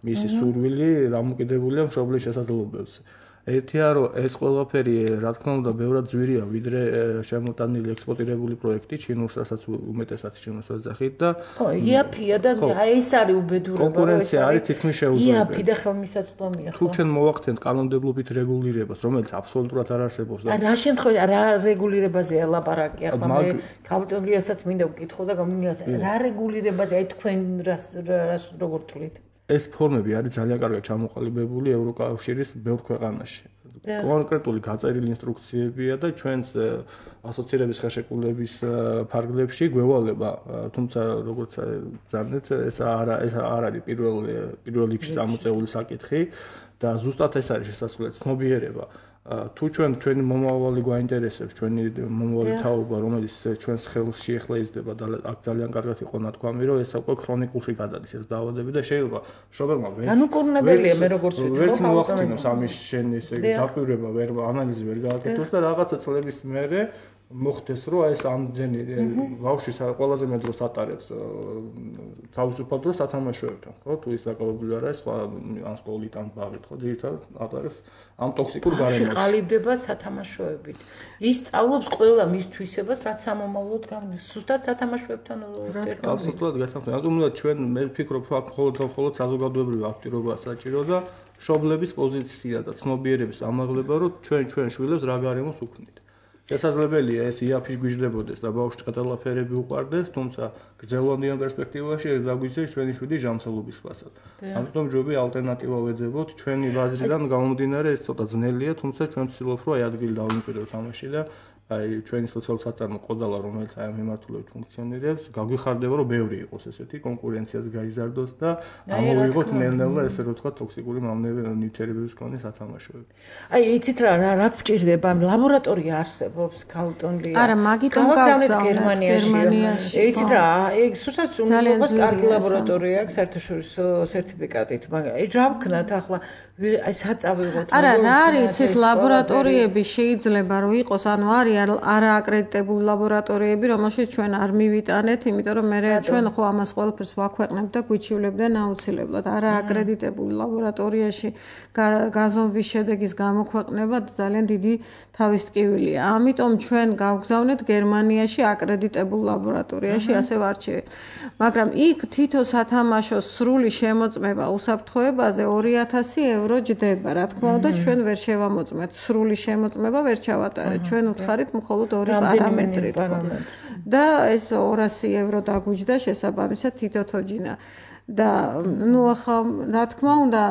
მისი სურვილი დამოკიდებულია მშობლის შესაძლებლობებზე. ერთია რომ ეს ყველაფერი რა თქმა უნდა ბევრად ძვირია ვიდრე შემოტანილი ექსპორტირებული პროექტი ჩინურს რასაც უმეტესად ჩინურს ვეძახით და ხო იაფია და ეს არის უბედურება კონკურენცია არის თითქმის შეუძლებელი იაფი და ხელმისაწვდომია ხო თუ ჩვენ მოვახდენთ კანონმდებლობით რეგულირებას რომელიც აბსოლუტურად არ არსებობს და რა შემთხვევაში რა რეგულირებაზეა ლაპარაკი ახლა მე ქავტონლიასაც მინდა ვკითხო და გამიგას რა რეგულირებაზე აი თქვენ რას რას როგორ თვლით ეს ფორმები არის ძალიან კარგად ჩამოყალიბებული ევროკავშირის ბევრ ქვეყანაში. კონკრეტული გაწერილი ინსტრუქციებია და ჩვენს ასოცირების ხელშეკრულების ფარგლებში გვევალება, თუმცა როგორც ზანეთ ეს არ ეს არ არის პირველ პირველ რიგში წამოწეული საკითხი და ზუსტად ეს არის შესაძლებელი ცნობიერება. თუ ჩვენ ჩვენი მომავალი გვაინტერესებს, ჩვენი მომავალი თაობა, რომელიც ჩვენს ხელში ახლა იზრდება და აქ ძალიან კარგად იყო ნათქვამი, რომ ეს უკვე ქრონიკულში გადადის ეს დაავადებები და შეიძლება მშობელმა ვერც განუკურნებელია მე როგორც ვიცი, ვერც მოახდინოს ამის შენ ესე დაკვირვება ვერ ანალიზი ვერ გააკეთოს და რაღაცა წლების მერე მოხდეს რომ ეს ამდენი ბავშვი ყველაზე მეტ დროს ატარებს თავისუფალ დროს სათამაშოებთან, ხო? თუ ის დაკავებული არა, სხვა ან სკოლით ან ბაღით, ხო? ძირითადად ატარებს ამ ტოქსიკურ გარემოში. შეყალიბდება სათამაშოებით. ის სწავლობს ყველა მის თვისებას, რაც სამომავლოდ გამდის. სუსტად სათამაშოებთან ერთად. აბსოლუტურად გასაგებია. რატომ უნდა ჩვენ მე ვფიქრობ, რომ აქ მხოლოდ და მხოლოდ საზოგადოებრივი აქტივობა საჭირო და მშობლების პოზიცია და ცნობიერების ამაღლება, რომ ჩვენ ჩვენ შვილებს რა გარემოს უქმნით. შესაძლებელია ეს იაფი გვიждდებოდეს და ბავშვს ყდალაფერები უყარდეს, თუმცა გრძელვადიან პერსპექტივაში დაგვიძეს ჩვენი შვიდი ჯანმრთელობის ფასად. ამიტომ ჯობია ალტერნატივა ვეძებოთ, ჩვენი ბაზრიდან გამომდინარე ეს ცოტა ძნელია, თუმცა ჩვენ ვცდილობთ რომ აი ადგილი დავიმკვიდროთ ამაში და აი ჩვენი სოციალური საწარმო ყოდალა რომელიც აი ამ მიმართულებით ფუნქციონირებს, გაგვიხარდება რომ ბევრი იყოს ესეთი კონკურენციას გაიზარდოს და ამოვიღოთ ნელ-ნელა ესე რომ თქვა ტოქსიკური ნივთიერებების მქონე სათამაშოები. აი იცით რა რა გვჭირდება ლაბორატორია არსებობს ქალტონლია. არა, მაგიტომ გავგზავნეთ გერმანიაში. იცით რა, ეგ სულაც უნდობლობას კარგი ლაბორატორია აქვს საერთაშორისო სერტიფიკატით, მაგრამ აი რა ვქნათ ახლა აი საწავიღოთ. არა, რა არის იცით ლაბორატორიები შეიძლება რომ იყოს, ანუ არის არა აკრედიტებული ლაბორატორიები, რომელშიც ჩვენ არ მივიტანეთ, იმიტომ რომ მე ჩვენ ხო ამას ყველაფერს ვაქვეყნებ და გვიჩივლებდნენ აუცილებლად. არა აკრედიტებული ლაბორატორიაში გაზომვის შედეგის გამოქვეყნება ძალიან დიდი თავის ტკივილია. ამიტომ ჩვენ გავგზავნეთ გერმანიაში აკრედიტებულ ლაბორატორიაში, ასე ვარჩევით. მაგრამ იქ თითო სათამაშოს სრული შემოწმება უსაფრთხოებაზე ორი ათასი ევრო ჯდება. რა თქმა უნდა, ჩვენ ვერ შევამოწმეთ სრული შემოწმება, ვერ ჩავატარეთ. ჩვენ უთხარით მხოლოდ ორი პარამეტრით. და ეს ორასი ევრო დაგვიჯდა შესაბამისად თითო თოჯინა. და ნუ ახლა რა თქმა უნდა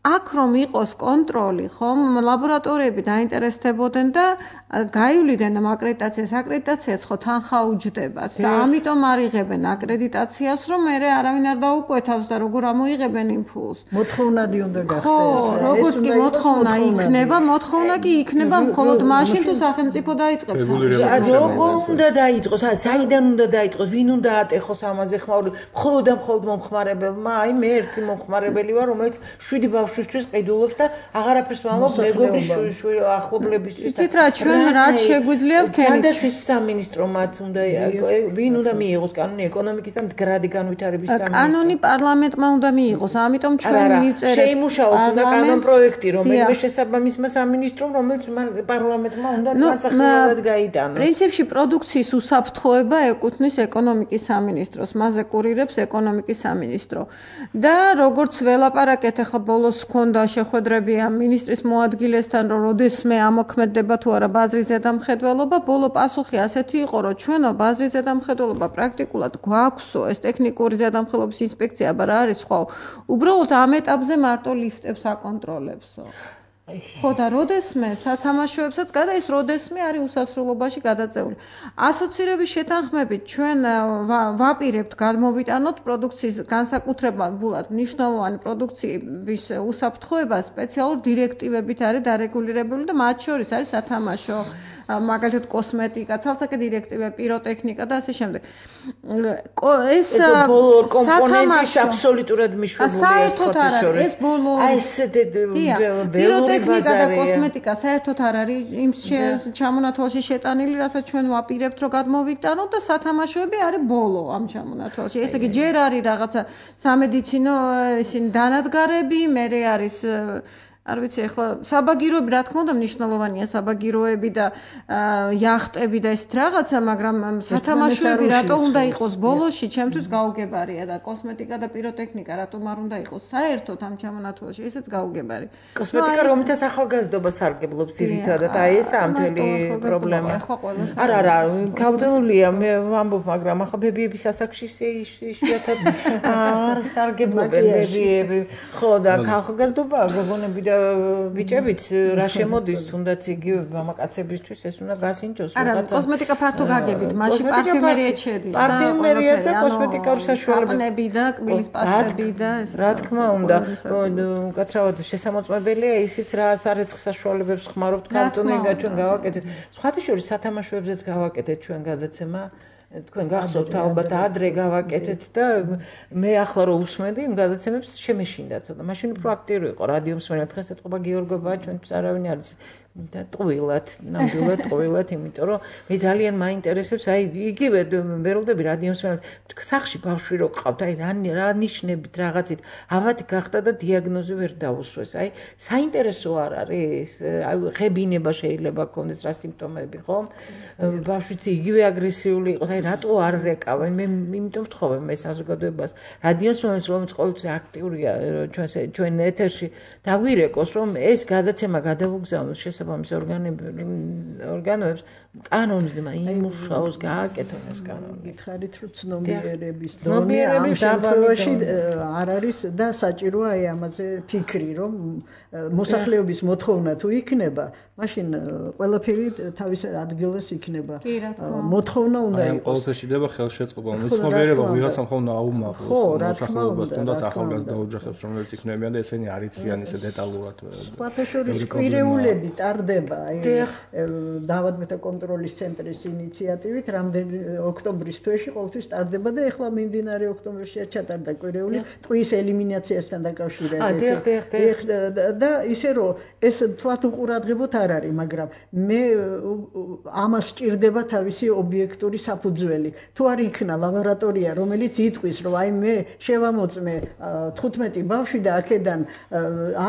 აქ რომ იყოს კონტროლი, ხომ, ლაბორატორიები დაინტერესდებოდნენ და გაივლიდან ამ აკრედიტაციას, აკრედიტაციაც ხო თანხა უჯდებათ და ამიტომ არ იღებენ აკრედიტაციას, რომ მე არავინ არ დაუკვეთავს და როგორ ამოიღებენ იმ ფულს. მოთხოვნადი უნდა გახდეს. ხო, როგორც კი მოთხოვნა იქნება, მოთხოვნა კი იქნება მხოლოდ მაშინ თუ სახელმწიფო დაიწყებს. როგორ უნდა დაიწყოს? საიდან უნდა დაიწყოს? ვინ უნდა ატეხოს ამაზე ხმაური? მხოლოდ და მხოლოდ მომხმარებელმა? აი მე ერთი მომხმარებელი ვარ, რომელიც შვიდი ბავშვისთვის ყიდულობს და აღარაფერს ვამბობ მეგობრის ახლობლებისთვის. იცით რა, ჩვენ რაც შეგვიძლია ვქენით. ჯანდაცვის სამინისტრო მათ უნდა ვინ უნდა მიიღოს კანონი ეკონომიკის და მდგრადი განვითარების სამინისტრო. კანონი პარლამენტმა უნდა მიიღოს, ამიტომ ჩვენ მივწერეთ. შეიმუშაოს უნდა კანონ პროექტი, რომელიმე შესაბამისმა სამინისტრომ, რომელიც პარლამენტმა უნდა განსახილველად გაიტანოს. პრინციპში პროდუქციის უსაფრთხოება ეკუთვნის ეკონომიკის სამინისტროს, მასზე კურირებს ეკონომიკის სამინისტრო. და როგორც ველაპარაკეთ, ახლა ბოლოს ჰქონდა შეხვედრები ამ მინისტრის მოადგილესთან, რომ როდესმე ამოქმედდება თუ არა ბაზრის ზედამხედველობა, ბოლო პასუხი ასეთი იყო, რომ ჩვენო ბაზრის ზედამხედველობა პრაქტიკულად გვაქვსო, ეს ტექნიკური ზედამხედველობის ინსპექცია, აბა რა არის სხვა. უბრალოდ ამ ეტაპზე მარტო ლიფტებს აკონტროლებსო. ხო და როდესმე სათამაშოებსაც გადა ის როდესმე არის უსასრულობაში გადაწეული. ასოცირების შეთანხმებით ჩვენ ვაპირებთ გადმოვიტანოთ პროდუქციის განსაკუთრებულად მნიშვნელოვანი პროდუქციის უსაფრთხოება სპეციალურ დირექტივებით არის დარეგულირებული და მათ შორის არის სათამაშო მაგალითად კოსმეტიკა, ცალსაკე დირექტივა, პიროტექნიკა და ასე შემდეგ. ეს ბოლო კომპონენტის აბსოლუტურად მიშვებულია საერთოდ არ არის ეს ბოლო აი ეს ველური ბაზარია და კოსმეტიკა საერთოდ არ არის იმ ჩამონათვალში შეტანილი, რასაც ჩვენ ვაპირებთ რომ გადმოვიტანოთ და სათამაშოები არის ბოლო ამ ჩამონათვალში. ესე იგი ჯერ არის რაღაცა სამედიცინო ისინი დანადგარები, მერე არის არ ვიცი ახლა საბაგიროები რა თქმა უნდა მნიშვნელოვანია საბაგიროები და იახტები და ეს რაღაცა მაგრამ სათამაშოები რატო უნდა იყოს ბოლოში ჩემთვის გაუგებარია და კოსმეტიკა და პიროტექნიკა რატომ არ უნდა იყოს საერთოდ ამ ჩამონათვალში ესეც გაუგებარი კოსმეტიკა რომითაც ახალგაზრდობა სარგებლობს ძირითადად აი ეს ამ მთელი პრობლემა არა არა გავდეულია მე ვამბობ მაგრამ ახლა ბებიების ასაკში იშვიათად არ სარგებლობენ ბებიები ხო და ახალგაზრდობა გოგონები და ბიჭებიც რა შემოდის თუნდაც იგივე მამაკაცებისთვის ეს უნდა გასინჯოს რაღაცა. არა, კოსმეტიკა ფართო გაგებით, მაშინ პარფიუმერიაც შედის. პარფიუმერია და კოსმეტიკა საშუალება. საპნები და კბილის პასტები და ეს. რა თქმა უნდა, უკაცრავად შესამოწმებელია ისიც რა სარეცხ საშუალებებს ხმარობთ კანტონინგა ჩვენ გავაკეთეთ. სხვათა შორის სათამაშოებზეც გავაკეთეთ ჩვენ გადაცემა. თქვენ გახსოვთ ალბათ ადრე გავაკეთეთ და მე ახლა რო უსმენდი იმ გადაცემებს შემეშინდა ცოტა. მაშინ უფრო აქტიური იყო რადიო მსმენელი დღეს ეთყობა გიორგობა ჩვენთვის არავინ არის და ტყუილად, ნამდვილად ტყუილად, იმიტომ რომ მე ძალიან მაინტერესებს აი იგივე ვეროდები რადიო მსმენელი სახში ბავშვი რო ყავთ აი რა რა ნიშნებით რაღაცით ავად გახდა და დიაგნოზი ვერ დაუსვეს. აი საინტერესო არ არის აი ღებინება შეიძლება გქონდეს რა სიმპტომები ხომ? ბავშვიც იგივე აგრესიული იყოს აი რატო არ რეკავენ მე იმიტომ ვთხოვე მე საზოგადოებას რადიო მსმენელს რომელიც ყოველთვის აქტიურია ჩვენ ჩვენ ეთერში დაგვირეკოს რომ ეს გადაცემა გადავუგზავნოს შესაბამის ორგანოებს ორგანოებს კანონით იმუშაოს გააკეთონ ეს კანონი. გითხარით რომ ცნობიერების დონე ამ შემთხვევაში არ არის და საჭიროა აი ამაზე ფიქრი რომ მოსახლეობის მოთხოვნა თუ იქნება მაშინ ყველაფერი თავის ადგილას იქნება. მოთხოვნა უნდა იყოს. აი ყოველთვის შეიძლება ხელშეწყობა, ცნობიერება ვიღაცამ ხომ აუმაღლოს მოსახლეობას თუნდაც ახალგაზრდა ოჯახებს რომელიც იქნებიან და ესენი არ იციან ისე დეტალურად. სხვათა შორის კვირეულები ტარდება აი დავადმეთა კონტროლის ცენტრის ინიციატივით რამდენი ოქტომბრის თვეში ყოველთვის ტარდება და ეხლა მიმდინარე ოქტომბერშია ჩატარდა კვირეული ტყვის ელიმინაციასთან დაკავშირებით. და ისე რომ ეს თვათ უყურადღებოთ არ არის, მაგრამ მე ამას სჭირდება თავისი ობიექტური საფუძველი. თუ არ იქნა ლაბორატორია, რომელიც იტყვის, რომ აი მე შევამოწმე თხუთმეტი ბავშვი და აქედან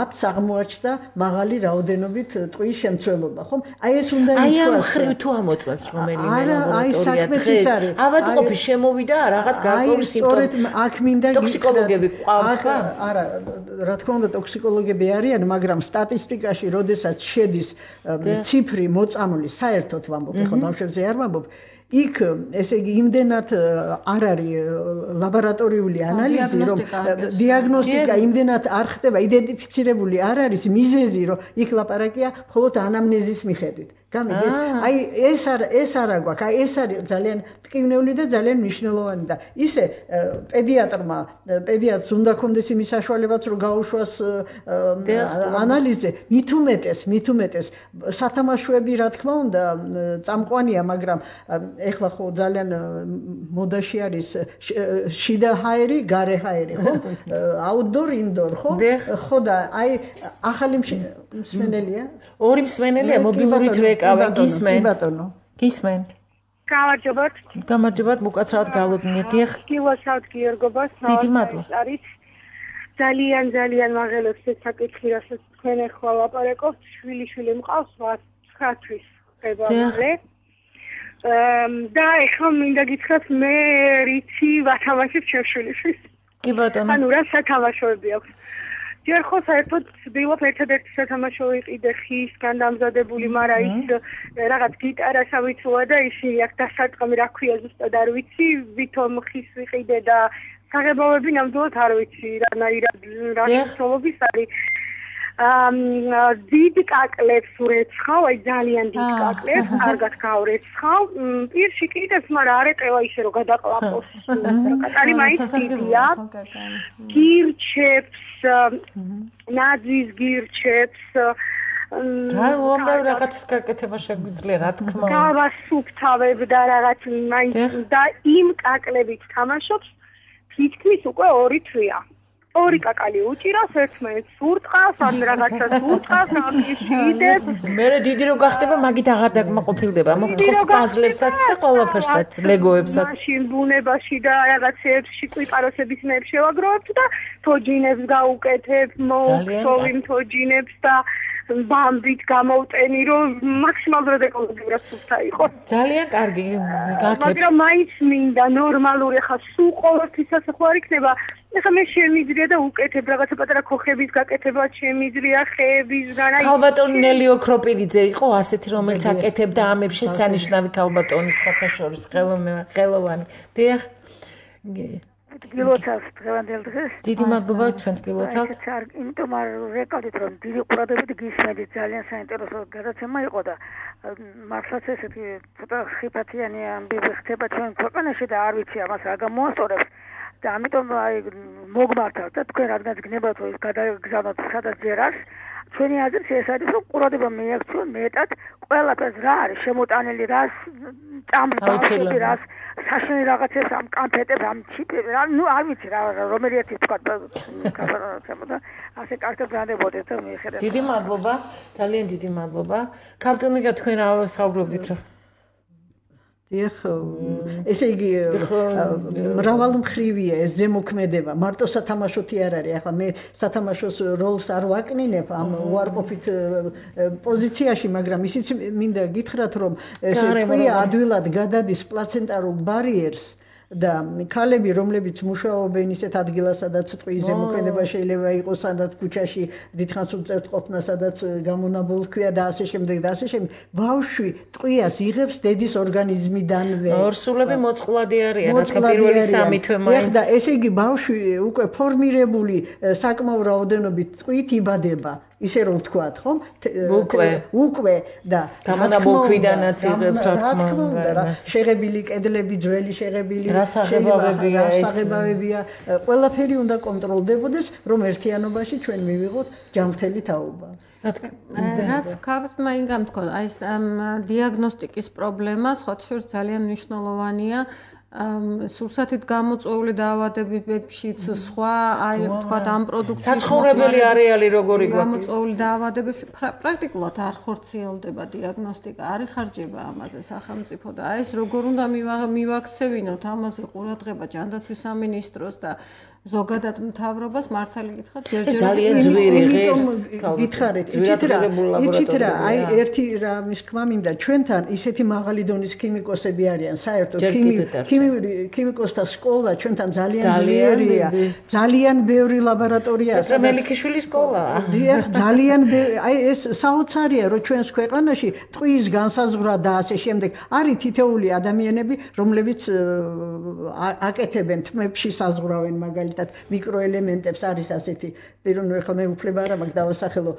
ათს აღმოაჩნდა მაღალი რაოდენობით ტყვის შემცველობა, ხომ? აი ეს უნდა ითქვას. აი ამ ხრივ თუ ამოწმებს რომელიმე ლაბორატორია დღეს, ავადმყოფი შემოვიდა რაღაც გარკვეული სიმპტომი. აქ მინდა ტოქსიკოლოგები ყავს ხა? არა, რა თქმა უნდა ტოქსიკოლოგები არიან, მაგრამ სტატისტიკაში, როდესაც შედის ციფრი მოწამული საერთოდ ვამბობ, ხო ბავშვებზე არ ვამბობ. იქ ესე იგი იმდენად არ არის ლაბორატორიული ანალიზი, რომ დიაგნოსტიკა იმდენად არ ხდება, იდენტიფიცირებული არ არის მიზეზი, რომ იქ ლაპარაკია მხოლოდ ანამნეზის მიხედვით. გამიგეთ? აი ეს არ ეს არა გვაქვს. აი ეს არის ძალიან ტკივნეული და ძალიან მნიშვნელოვანი და ისე პედიატრმა პედიატრს უნდა კონდეს იმის საშუალებაც რომ გაუშვას ანალიზზე. მით უმეტეს, მით უმეტეს სათამაშოები რა თქმა უნდა წამყვანია, მაგრამ ეხლა ხო ძალიან მოდაში არის შიდა ჰაერი, გარე ჰაერი, ხო? აუთდორ, ინდორ, ხო? ხო და აი ახალი მსმენელია? ორი მსმენელია მობილური ტრეკავენ გისმენ. კი ბატონო. გისმენ. გამარჯობათ. გამარჯობათ, მოკაცრავად გავლობნით. გილოცავთ გიორგობას. დიდი მადლობა. არის ძალიან ძალიან მაღელებს ეს საკითხი, რასაც თქვენ ახლა ლაპარაკობთ, შვილი-შვილი მყავს ცხრა თვის ხება მალე. და ეხლა მინდა გითხრათ მე რიცი ვათამაშებ შევშვილიშვილს. კი ბატონო. ანუ რა სათამაშოები აქვს. ჯერ ხო საერთოდ ვცდილობ ერთადერთი სათამაშო ვიყიდე ხისგან დამზადებული, მაგრამ ის რაღაც გიტარას ავიცოა და ისინი აქ დასარტყამი რა ქვია ზუსტად არ ვიცი, ვითომ ხის ვიყიდე და საღებავები ნამდვილად არ ვიცი, რანაირად რა შემთხვევების არის. დიდ კაკლებს ვრეცხავ, აი ძალიან დიდ კაკლებს, კარგად გავრეცხავ. პირში კიდეც, მაგრამ არ ეტევა ისე რომ გადაყლაპოს. კაკალი მაინც დიდია. გირჩებს, ნაძვის გირჩებს. აი, უამრავ რაღაცას გაკეთება შეგვიძლია, რა თქმა უნდა. გავასუფთავებ და რაღაც მაინც და იმ კაკლებით თამაშობს თითქმის უკვე ორი თვეა. ორი კაკალი უჭირავს ერთმანეთს სურტყავს, ან რაღაცას სურტყავს, ან ისიდებს. მე დიდი რო გახდება, მაგით აღარ დაკმაყოფილდება. მოგთხოვთ პაზლებსაც და ყველაფერსაც, ლეგოებსაც. მაშინ ბუნებაში და რაღაცეებში კვიპაროსების ნებს შევაგროვებთ და თოჯინებს გავუკეთებ, მოვხსოვი თოჯინებს და ბამბით გამოვტენი, რომ მაქსიმალურად ეკოლოგიურად სუფთა იყოს. ძალიან კარგი. მაგრამ მაინც მინდა ნორმალური, ხა სულ ყოველთვისაც ხო არ იქნება. ეხლა მე შემიძლია და უკეთებ რაღაცა პატარა ქოხების გაკეთება შემიძლია, ხეებისგან. აი ქალბატონი ნელი ოქროპირიძე იყო ასეთი, რომელიც აკეთებდა ამებს შესანიშნავი ქალბატონი სხვათა შორის ხელოვანი. დიახ. გილოცავს დღევანდელ დღეს. დიდი მადლობა თქვენ გილოცავთ. იმიტომ არ რეკავდით რომ დიდი ყურადღებით გისმენთ, ძალიან საინტერესო გადაცემა იყო და მართლაც ესეთი ცოტა ხიფათიანი ამბები ხდება ჩვენ ქვეყანაში და არ ვიცი ამას რა გამოასწორებს. და ამიტომ აი მოგმართავთ და თქვენ რადგანაც გნებათ რომ გადაგზავნოთ სადაც ჯერას ჩვენი აზრით ეს არის რომ ყურადღება მიაქციონ მეტად ყველაფერს რა არის შემოტანილი რას წამბავში რას საშენი რაღაცებს ამ კანფეტებს ამ ჩიპებს რა ნუ არ ვიცი რა რომელი ერთი თქვა კაფერაცემოდა ასე კარგად განდებოდეთ და მიხედეთ დიდი მადლობა ძალიან დიდი მადლობა კაპტონიკა თქვენ რა საუბრობდით რა ეხ ესე იგი მრავალმხრივია ეს ზემოქმედება მარტო სათამაშოთი არ არის ახლა მე სათამაშოს როლს არ ვაკნინებ ამ უარყოფით პოზიციაში მაგრამ ისიც მინდა გითხრათ რომ ესე ტყვია ადვილად გადადის პლაცენტარულ ბარიერს და ქალები რომლებიც მუშაობენ ისეთ ადგილას სადაც ტყვის ზემოქმედება შეიძლება იყოს სადაც ქუჩაში დიდხანს უწევთ ყოფნა სადაც გამონაბოლქვია და ასე შემდეგ და ასე შემდეგ ბავშვი ტყვიას იღებს დედის ორგანიზმიდანვე ორსულები მოწყვლადი არიან ახლა პირველი სამი თვე მაინც და ესე იგი ბავშვი უკვე ფორმირებული საკმაო რაოდენობით ტყვით იბადება ისე რომ ვთქვათ, ხომ? უკვე უკვე და გამონაბოლქვიდანაც იღებს რა თქმა უნდა. შეღებილი კედლები, ძველი შეღებილი რასაღებავებია ეს. რასაღებავებია, ყველაფერი უნდა კონტროლდებოდეს, რომ ერთიანობაში ჩვენ მივიღოთ ჯანმრთელი თაობა. რაც ქაბტმა ინგამ თქვა, აი ეს დიაგნოსტიკის პრობლემა, სხვა შორის ძალიან მნიშვნელოვანია. სურსათით გამოწვეული დაავადებებშიც სხვა აი ვთქვათ ამ პროდუქციის საცხოვრებელი არეალი როგორი გვაქვს გამოწვეული დაავადებებში პრაქტიკულად არ ხორციელდება დიაგნოსტიკა არ იხარჯება ამაზე სახელმწიფო და აი ეს როგორ უნდა მივაქცევინოთ ამაზე ყურადღება ჯანდაცვის სამინისტროს და ზოგადად მთავრობას მართალი გითხრათ ჯერჯერობით ძალიან ძვირი ღირს გითხარით იცით რა იცით რა აი ერთი რამის თქმა მინდა ჩვენთან ისეთი მაღალი დონის ქიმიკოსები არიან საერთოდ ქიმიკოსთა სკოლა ჩვენთან ძალიან ძლიერია ძალიან ბევრი ლაბორატორია პეტრე მელიქიშვილის სკოლაა დიახ ძალიან აი ეს საოცარია რომ ჩვენს ქვეყანაში ტყვის განსაზღვრა და ასე შემდეგ არის თითოეული ადამიანები რომლებიც აკეთებენ თმებში საზღვრავენ მაგალითად მიკროელემენტებს არის ასეთი პიროვნული ხომ მე უფლება არ მაქვს დავასახელო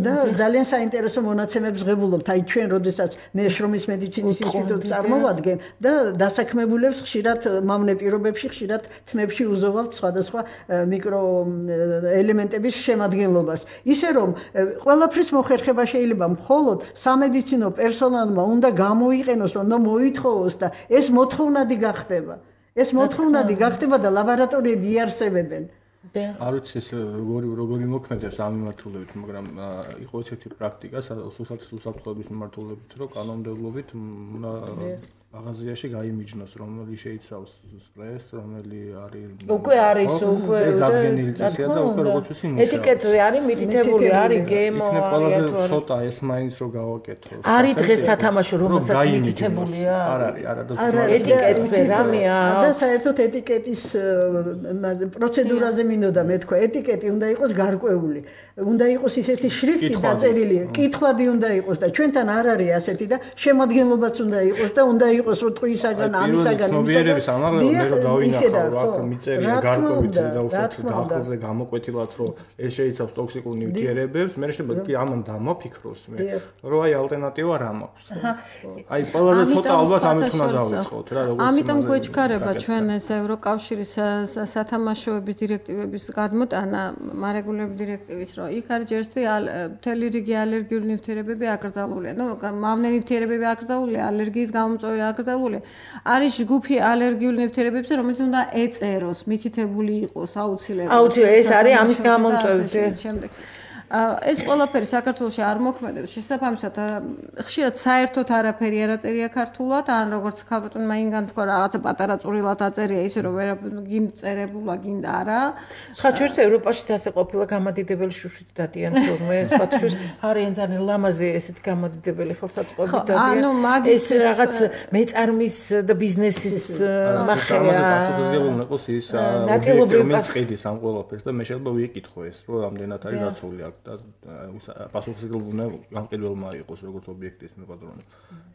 და ძალიან საინტერესო მონაცემებს ღებულობთ აი ჩვენ როდესაც მე შრომის მედიცინის ინსტიტუტს წარმოვადგენ და დასაქმებულებს ხშირად მამნე პირობებში ხშირად თმებში უზოვავთ სხვადასხვა მიკროელემენტების შემადგენლობას ისე რომ ყველაფრის მოხერხება შეიძლება მხოლოდ სამედიცინო პერსონალმა უნდა გამოიყენოს უნდა მოითხოვოს და ეს მოთხოვნადი გახდება ეს მოთხოვნადი გახდება და ლაბორატორიები იარსებებენ. არ ვიცი ეს როგორი როგორი მოქმედებს ამ მიმართულებით, მაგრამ იყო ესეთი პრაქტიკა სუსაფრთხოების მიმართულებით, რომ კანონმდებლობით მაღაზიაში გაიმიჯნოს, რომელი შეიცავს სტრეს, რომელი არის უკვე არის უკვე ეს დადგენილი წესია და უკვე როგორც ვიცი ეტიკეტზე არის მითითებული, არის გემო, არის ყველაზე ცოტა ეს მაინც რო გავაკეთოს. არის დღეს სათამაშო, რომელსაც მითითებულია? არ არის, არა ეტიკეტზე რამეა? და საერთოდ ეტიკეტის პროცედურაზე მინდოდა მე თქვა, ეტიკეტი უნდა იყოს გარკვეული. უნდა იყოს ისეთი შრიფტი დაწერილი, კითხვადი უნდა იყოს და ჩვენთან არ არის ასეთი და შემადგენლობაც უნდა იყოს და უნდა იყოს რომ ტყვიისაგან ამისაგან ცნობიერების ამაღლება მე რომ დავინახავ აქ მიწერია გარკვევით და უშუალოდ დაახლოზე გამოკვეთილად რომ ეს შეიცავს ტოქსიკურ ნივთიერებებს მე შეიძლება კი ამან დამოფიქროს მე რომ აი ალტერნატივა რა მაქვს აი ყველაზე ცოტა ალბათ ამით უნდა დავიწყოთ რა როგორც ამიტომ გვეჩქარება ჩვენ ეს ევროკავშირის სათამაშოების დირექტივების გადმოტანა მარეგულირებული დირექტივის რომ იქ არის ჯერსი მთელი რიგი ალერგიული ნივთიერებები აკრძალულია ნუ მავნე ნივთიერებები აკრძალულია ალერგიის გამომწვევი აკრძალულია არის ჯგუფი ალერგიული ნივთიერებებზე რომელიც უნდა ეწეროს მითითებული იყოს აუცილებლად აუცილებლად ეს არის ამის გამომწვევი შემდეგ ეს ყველაფერი საქართველოში არ მოქმედებს შესაბამისად ხშირად საერთოდ არაფერი არ აწერია ქართულად ან როგორც ქალბატონმა ინგან თქვა რაღაცა პატარა წვრილად აწერია ისე რომ ვერ გიმწერებულა გინდა არა სხვა ჩვენს ევროპაში ასე ყოფილა გამადიდებელი შუშით დადიან თორმე სხვა შუშ არიან ძალიან ლამაზი ესეთ გამადიდებელი ხელსაწყოები დადიან ეს რაღაც მეწარმის და ბიზნესის მახეა პასუხისმგებელი იყოს ის ნაწილობრივ წიდის ამ ყველაფერს და მე შეიძლება ვიკითხო ეს რომ ამდენად არის დაცული აქ და პასუხისმგებლობა გამყიდველმა იყოს როგორც ობიექტის მიყადრონე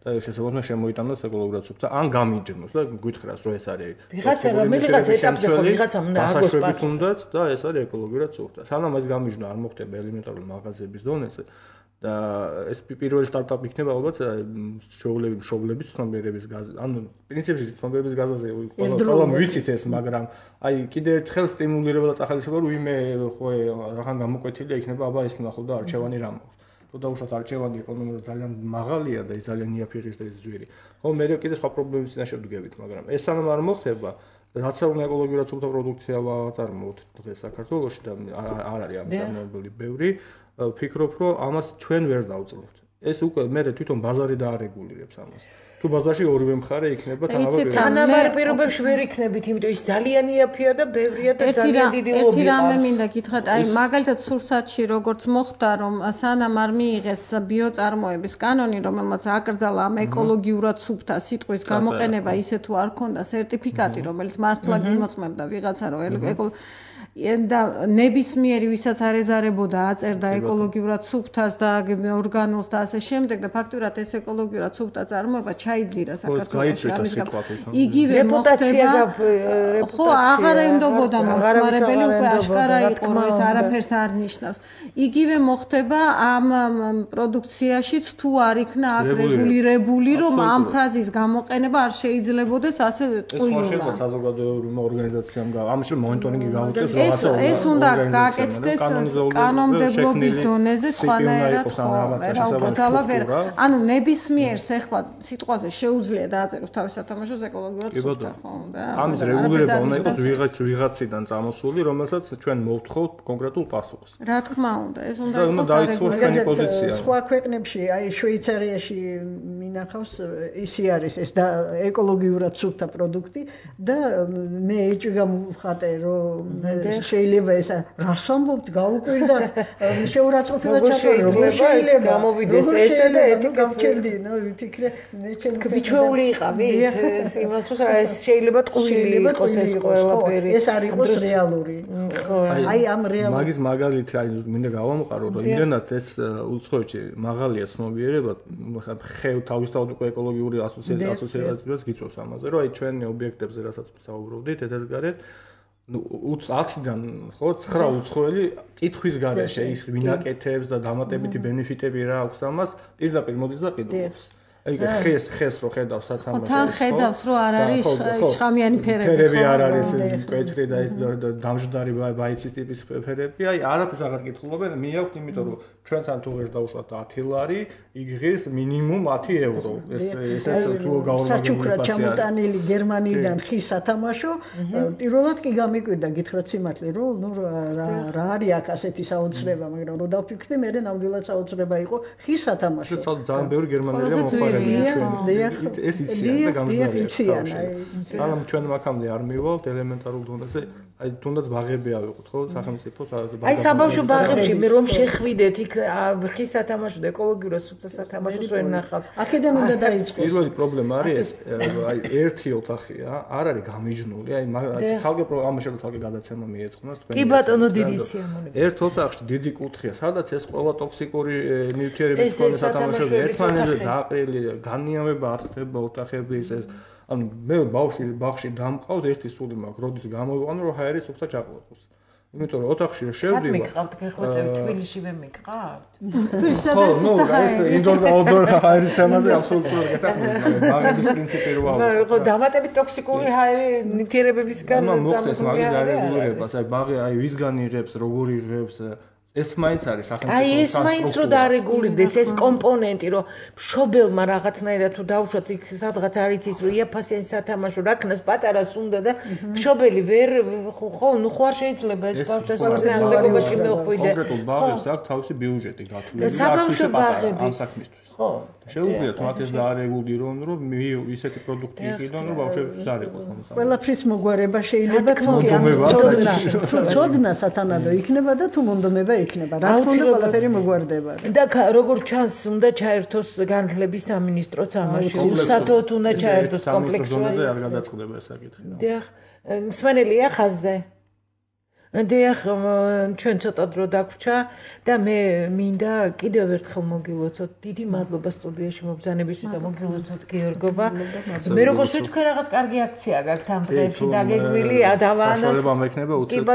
და შესაძლოა შემოიტანოს ეკოლოგიურად სუფთა ან გამიჯნოს და გითხრას რომ ეს არის ვიღაცა რომ ვიღაცა ეტაპზე ხო ვიღაცამ უნდა აგოს პასუხი და ეს არის ეკოლოგიურად სუფთა სანამ ეს გამიჯნა არ მოხდება ელემენტარულ მაღაზიების დონეზე და ეს პირველი სტარტაპი იქნება ალბათ შოულები შოულების ცნობიერების გაზ ანუ პრინციპში ცნობიერების გაზაზე ყველა ვიცით ეს მაგრამ აი კიდე ერთხელ სტიმულირება და წახალისება რომ ვიმე ხო რახან გამოკვეთილია იქნება აბა ეს ნახო და არჩევანი რა მაქვს თუ დაუშვათ არჩევანი ეკონომიკურად ძალიან მაღალია და ის ძალიან იაფიღის და ის ძვირი ხო მე კიდე სხვა პრობლემების წინაშე ვდგებით მაგრამ ეს სანამ არ მოხდება რაც არ უნდა ეკოლოგიურად სუფთა პროდუქცია ვაწარმოოთ დღეს საქართველოში და არ არის ამის ამბები ბევრი ვფიქრობ რომ ამას ჩვენ ვერ დავწლებთ ეს უკვე მე თვითონ ბაზარი დაარეგულირებს ამას თუ ბაზარში ორივე მხარე იქნება თანაბარ თანაბარ პირობებში ვერ იქნებით იმიტომ ის ძალიან იაფია და ბევრია და ძალიან დიდი ლობი ერთი რამე მინდა გითხრათ აი მაგალითად სურსათში როგორც მოხდა რომ სანამ არ მიიღეს ბიოწარმოების კანონი რომელმაც აკრძალა ამ ეკოლოგიურად სუფთა სიტყვის გამოყენება ისე თუ არ ქონდა სერტიფიკატი რომელიც მართლა გიმოწმებდა ვიღაცა რომ და ნებისმიერი ვისაც არეზარებოდა აწერდა ეკოლოგიურად სუფთას და ორგანოს და ასე შემდეგ და ფაქტურად ეს ეკოლოგიურად სუფთა წარმოება ჩაიძირა საქართველოში ამის გამო იგივე მოხდება ხო აღარ ენდობოდა მომხმარებელი უკვე აშკარა იყო რომ ეს არაფერს არ ნიშნავს იგივე მოხდება ამ პროდუქციაშიც თუ არ იქნა აქ რეგულირებული რომ ამ ფრაზის გამოყენება არ შეიძლებოდეს ასე ტყუილად ეს შეიძლება საზოგადოებრივ ორგანიზაციამ ამაში მონიტორინგი გაუწიოს ეს უნდა გააკეთდეს კანონმდებლობის დონეზე სხვანაირად ხო რა უკრძალა ვერ ანუ ნებისმიერს ახლა სიტყვაზე შეუძლია დააწეროს თავის სათამაშოს ეკოლოგიურად სუფთა ხო და ამის რეგულირება უნდა იყოს ვიღაც ვიღაციდან წამოსული რომელსაც ჩვენ მოვთხოვთ კონკრეტულ პასუხს რა თქმა უნდა ეს უნდა იყოს დაიცვას ჩვენი პოზიცია სხვა ქვეყნებში აი შვეიცარიაში მინახავს ისი არის ეს და ეკოლოგიურად სუფთა პროდუქტი და მე ეჭვი გამოვხატე რომ შეიძლება ეს რას ამბობთ გაუკვირდა შეურაცხყოფილად ჩაწერო როგორ შეიძლება გამოვიდეს ესე და ეთიკეტი ნუ ვიფიქრე მე ჩემი ქბიჩეული იყავით იმას რომ ეს შეიძლება ტყუილი იყოს ეს ყველაფერი ეს არ იყოს რეალური აი ამ რეალურ მაგის მაგალითი აი მინდა გავამყარო რომ იმდენად ეს უცხოეთში მაღალია ცნობიერება ხე თავისთავად უკვე ეკოლოგიური ასოციაციაც გიწევს ამაზე რომ აი ჩვენი ობიექტებზე რასაც საუბრობდით ეთეს გარეთ ну ოცდან ხო ცხრა უცხოელი კითხვის გარეშე ის ვინაკეთებს და დამატებითი ბენეფიტები რა აქვს ამას პირდაპირ მოდის და ყიდულობს აი ხეს ხეს რო ხედავს სათამაშოს თან ხედავს რომ არ არის შხამიანი ფერები ფერები არ არის კეთრი და ის დამჟდარი ბაიცის ტიპის ფერები აი არაფერს აღარ კითხულობენ მე აქვს იმიტომ რომ ჩვენთან თუ ვერ დავუშვათ ათი ლარი იგღის მინიმუმ ათი ევრო ეს ეს თუ გაორმაგებული საჩუქრად ჩამოტანილი გერმანიიდან ხის სათამაშო პირველად კი გამიკვირდა გითხრათ სიმართლე რომ ნუ რა არის აქ ასეთი საოცრება მაგრამ რო დავფიქრდი მე ნამდვილად საოცრება იყო ხის სათამაშო ძალიან ბევრი გერმანელია მოხარებია ეს იციან და გამჟდარია სანამ ჩვენ მაგამდე არ მივალთ ელემენტარულ დონეზე აი თუნდაც ბაღები ავიღოთ ხო სახელმწიფოს აი საბავშვო ბაღებში მე რომ შეხვიდეთ იქ ხის სათამაშო და ეკოლოგიურად სუფთა სათამაშოს ვერ ნახავთ აქედან უნდა დაიწყოს პირველი პრობლემა არის ეს აი ერთი ოთახია არ არის გამიჯნული აი ცალკე ამაში ცალკე გადაცემა მიეწყნოს თქვენ კი ბატონო დიდი სიამოვნებაა ერთ ოთახში დიდი კუთხეა სადაც ეს ყველა ტოქსიკური ნივთიერების მქონე სათამაშოები ერთმანეთზე დაყრილი განიავება არ ხდება ოთახების ეს ანუ მე ბავშვი ბაღში დამყავს ერთი სული მაქვს როდის გამოვიყვანო რომ ჰაერი სუფთა ჩაყლაპოს იმიტომ რომ ოთახში შევდივარ არ მიყავთ გეხვეწებ თბილისში ვერ მიყავთ ხო ნუ ეს ინდორ და აუტდორ ჰაერის თემაზე აბსოლუტურად გეტყვი ბაღების პრინციპი რო ავიღო ხო დამატებით ტოქსიკური ჰაერი ნივთიერებებისგან წარმოქმნის მაგის დარეგულირებას აი ბაღი აი ვისგან იღებს როგორ იღებს ეს მაინც არის სახელმწიფო აი ეს მაინც რო დარეგულირდეს ეს კომპონენტი რომ მშობელმა რაღაცნაირად თუ დაუშვათ იქ სადღაც არ იცის რომ იაფასიანი სათამაშო რაკნას პატარას უნდა და მშობელი ვერ ხო ნუ ხო არ შეიძლება ეს ბავშვს სამწუხაროდ მეუხვიდე კონკრეტულ ბაღებს აქვს თავისი ბიუჯეტი გათვლილი საბავშვო ბაღები ამ საქმისთვის ხო შეუძლიათ მათ ეს დაარეგულირონ რომ ისეთი პროდუქტი იყიდონ რომ ბავშვებს არ იყოს ამასა ყველაფრის მოგვარება შეიძლება თქო თუ წოდნა სათანადო იქნება და თუ მონდომება იქნება რა თქმა უნდა ყველაფერი მოგვარდება და როგორ ჩანს უნდა ჩაერთოს განათლების სამინისტროც ამაში უსათოდ უნდა ჩაერთოს კომპლექსური არ გადაწყდება ეს საკითხი დიახ მსმენელია ხაზზე დიახ ჩვენ ცოტა დრო დაგვრჩა და მე მინდა კიდევ ერთხელ მოგილოცოთ დიდი მადლობა სტუდიაში მობრძანებისთვის და მოგილოცოთ გიორგობა მე როგორც ვთქვი რაღაც კარგი აქცია გაქვთ ამ დღეებში დაგეგმილი ადავანას საშუალება მექნება უცებ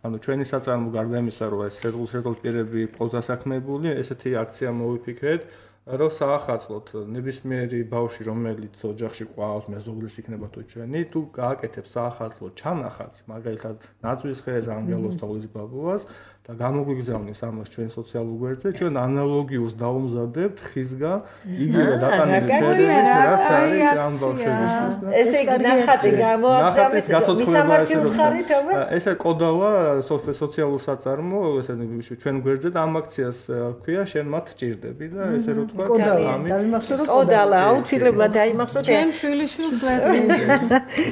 ანუ ჩვენი საწარმო გარდა იმისა რომ ეს რეზულტ რეზულტ პირები პროზასაქმებული ესეთი აქცია მოვიფიქრეთ რომ საახალწლოდ ნებისმიერი ბავშვი რომელიც ოჯახში ყავს მეზობლის იქნება თუ ჩვენი თუ გააკეთებს საახალწლო ჩანახატს მაგალითად ნაძვის ხეზე ანგელოს თოვლის ბაბუას და გამოგვიგზავნის ამას ჩვენ სოციალურ გვერდზე ჩვენ ანალოგიურს დაუმზადებთ ხისგან იგივე დატანილი რაც არის ამ ბავშვებისთვის ესე იგი ნახატი გამოაგზავნეთ მისამართი უთხარი თქო ესე კოდავა სოციალურ საწარმო ესე ჩვენ გვერდზე და ამ აქციას ქვია შენ მათ ჭირდები და ესე რომ თქვა კოდალა აუცილებლად დაიმახსოვრე ჩემ შვილიშვილს ვეძინე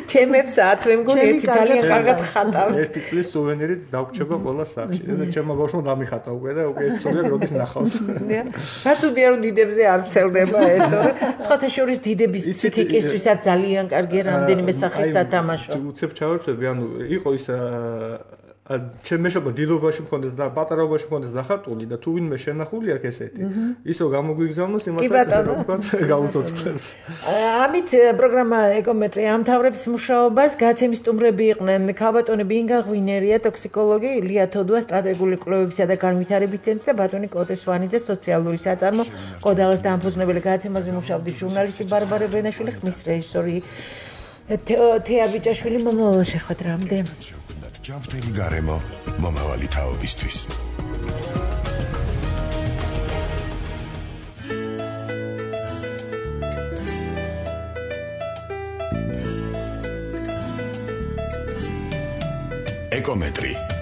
ჩემებსაც მე მგონი ერთი ძალიან კარგად ხატავს ერთი წლის სუვენირით დაგვრჩება ყველა სახში ჩემმა ბავშვმა დამიხატა უკვე და უკვე ეცოდია როდის ნახავს. რაც უდია რომ დიდებზე არ ფსელდება ეს, თორე სხვათა შორის დიდების ფსიქიკისთვისაც ძალიან კარგია რამდენიმე სახის სათამაშო. უცებ ჩავერთვები, ანუ იყო ის ჩემ მეშობა დიდობაში მქონდეს და პატარაობაში მქონდეს დახატული და თუ ვინმე შენახული აქვს ესეთი ისო გამოგვიგზავნოს იმასაც ესე რომ თქვა გავუцоცხლებ. ამით პროგრამა ეკომეტრი ამთავრებს მუშაობას. გაცემის სტუმრები იყვნენ ქალბატონები ინგა ღვინერია, ტოქსიკოლოგი ილია თოდუა, სტრატეგიული კვლევებისა და განვითარების ცენტრი და ბატონი კოტე სვანიძე, სოციალური საწარმო კოდალას დამფუძნებელი. გაცემაზე მუშაობდი ჟურნალისტი ბარბარე ბენაშვილი, ხმის რეჟისორი თეა ბიჭაშვილი. მომავალ შეხვედრამდე. ჯანმრთელი გარემო მომავალი თაობისთვის. ეკომეტრი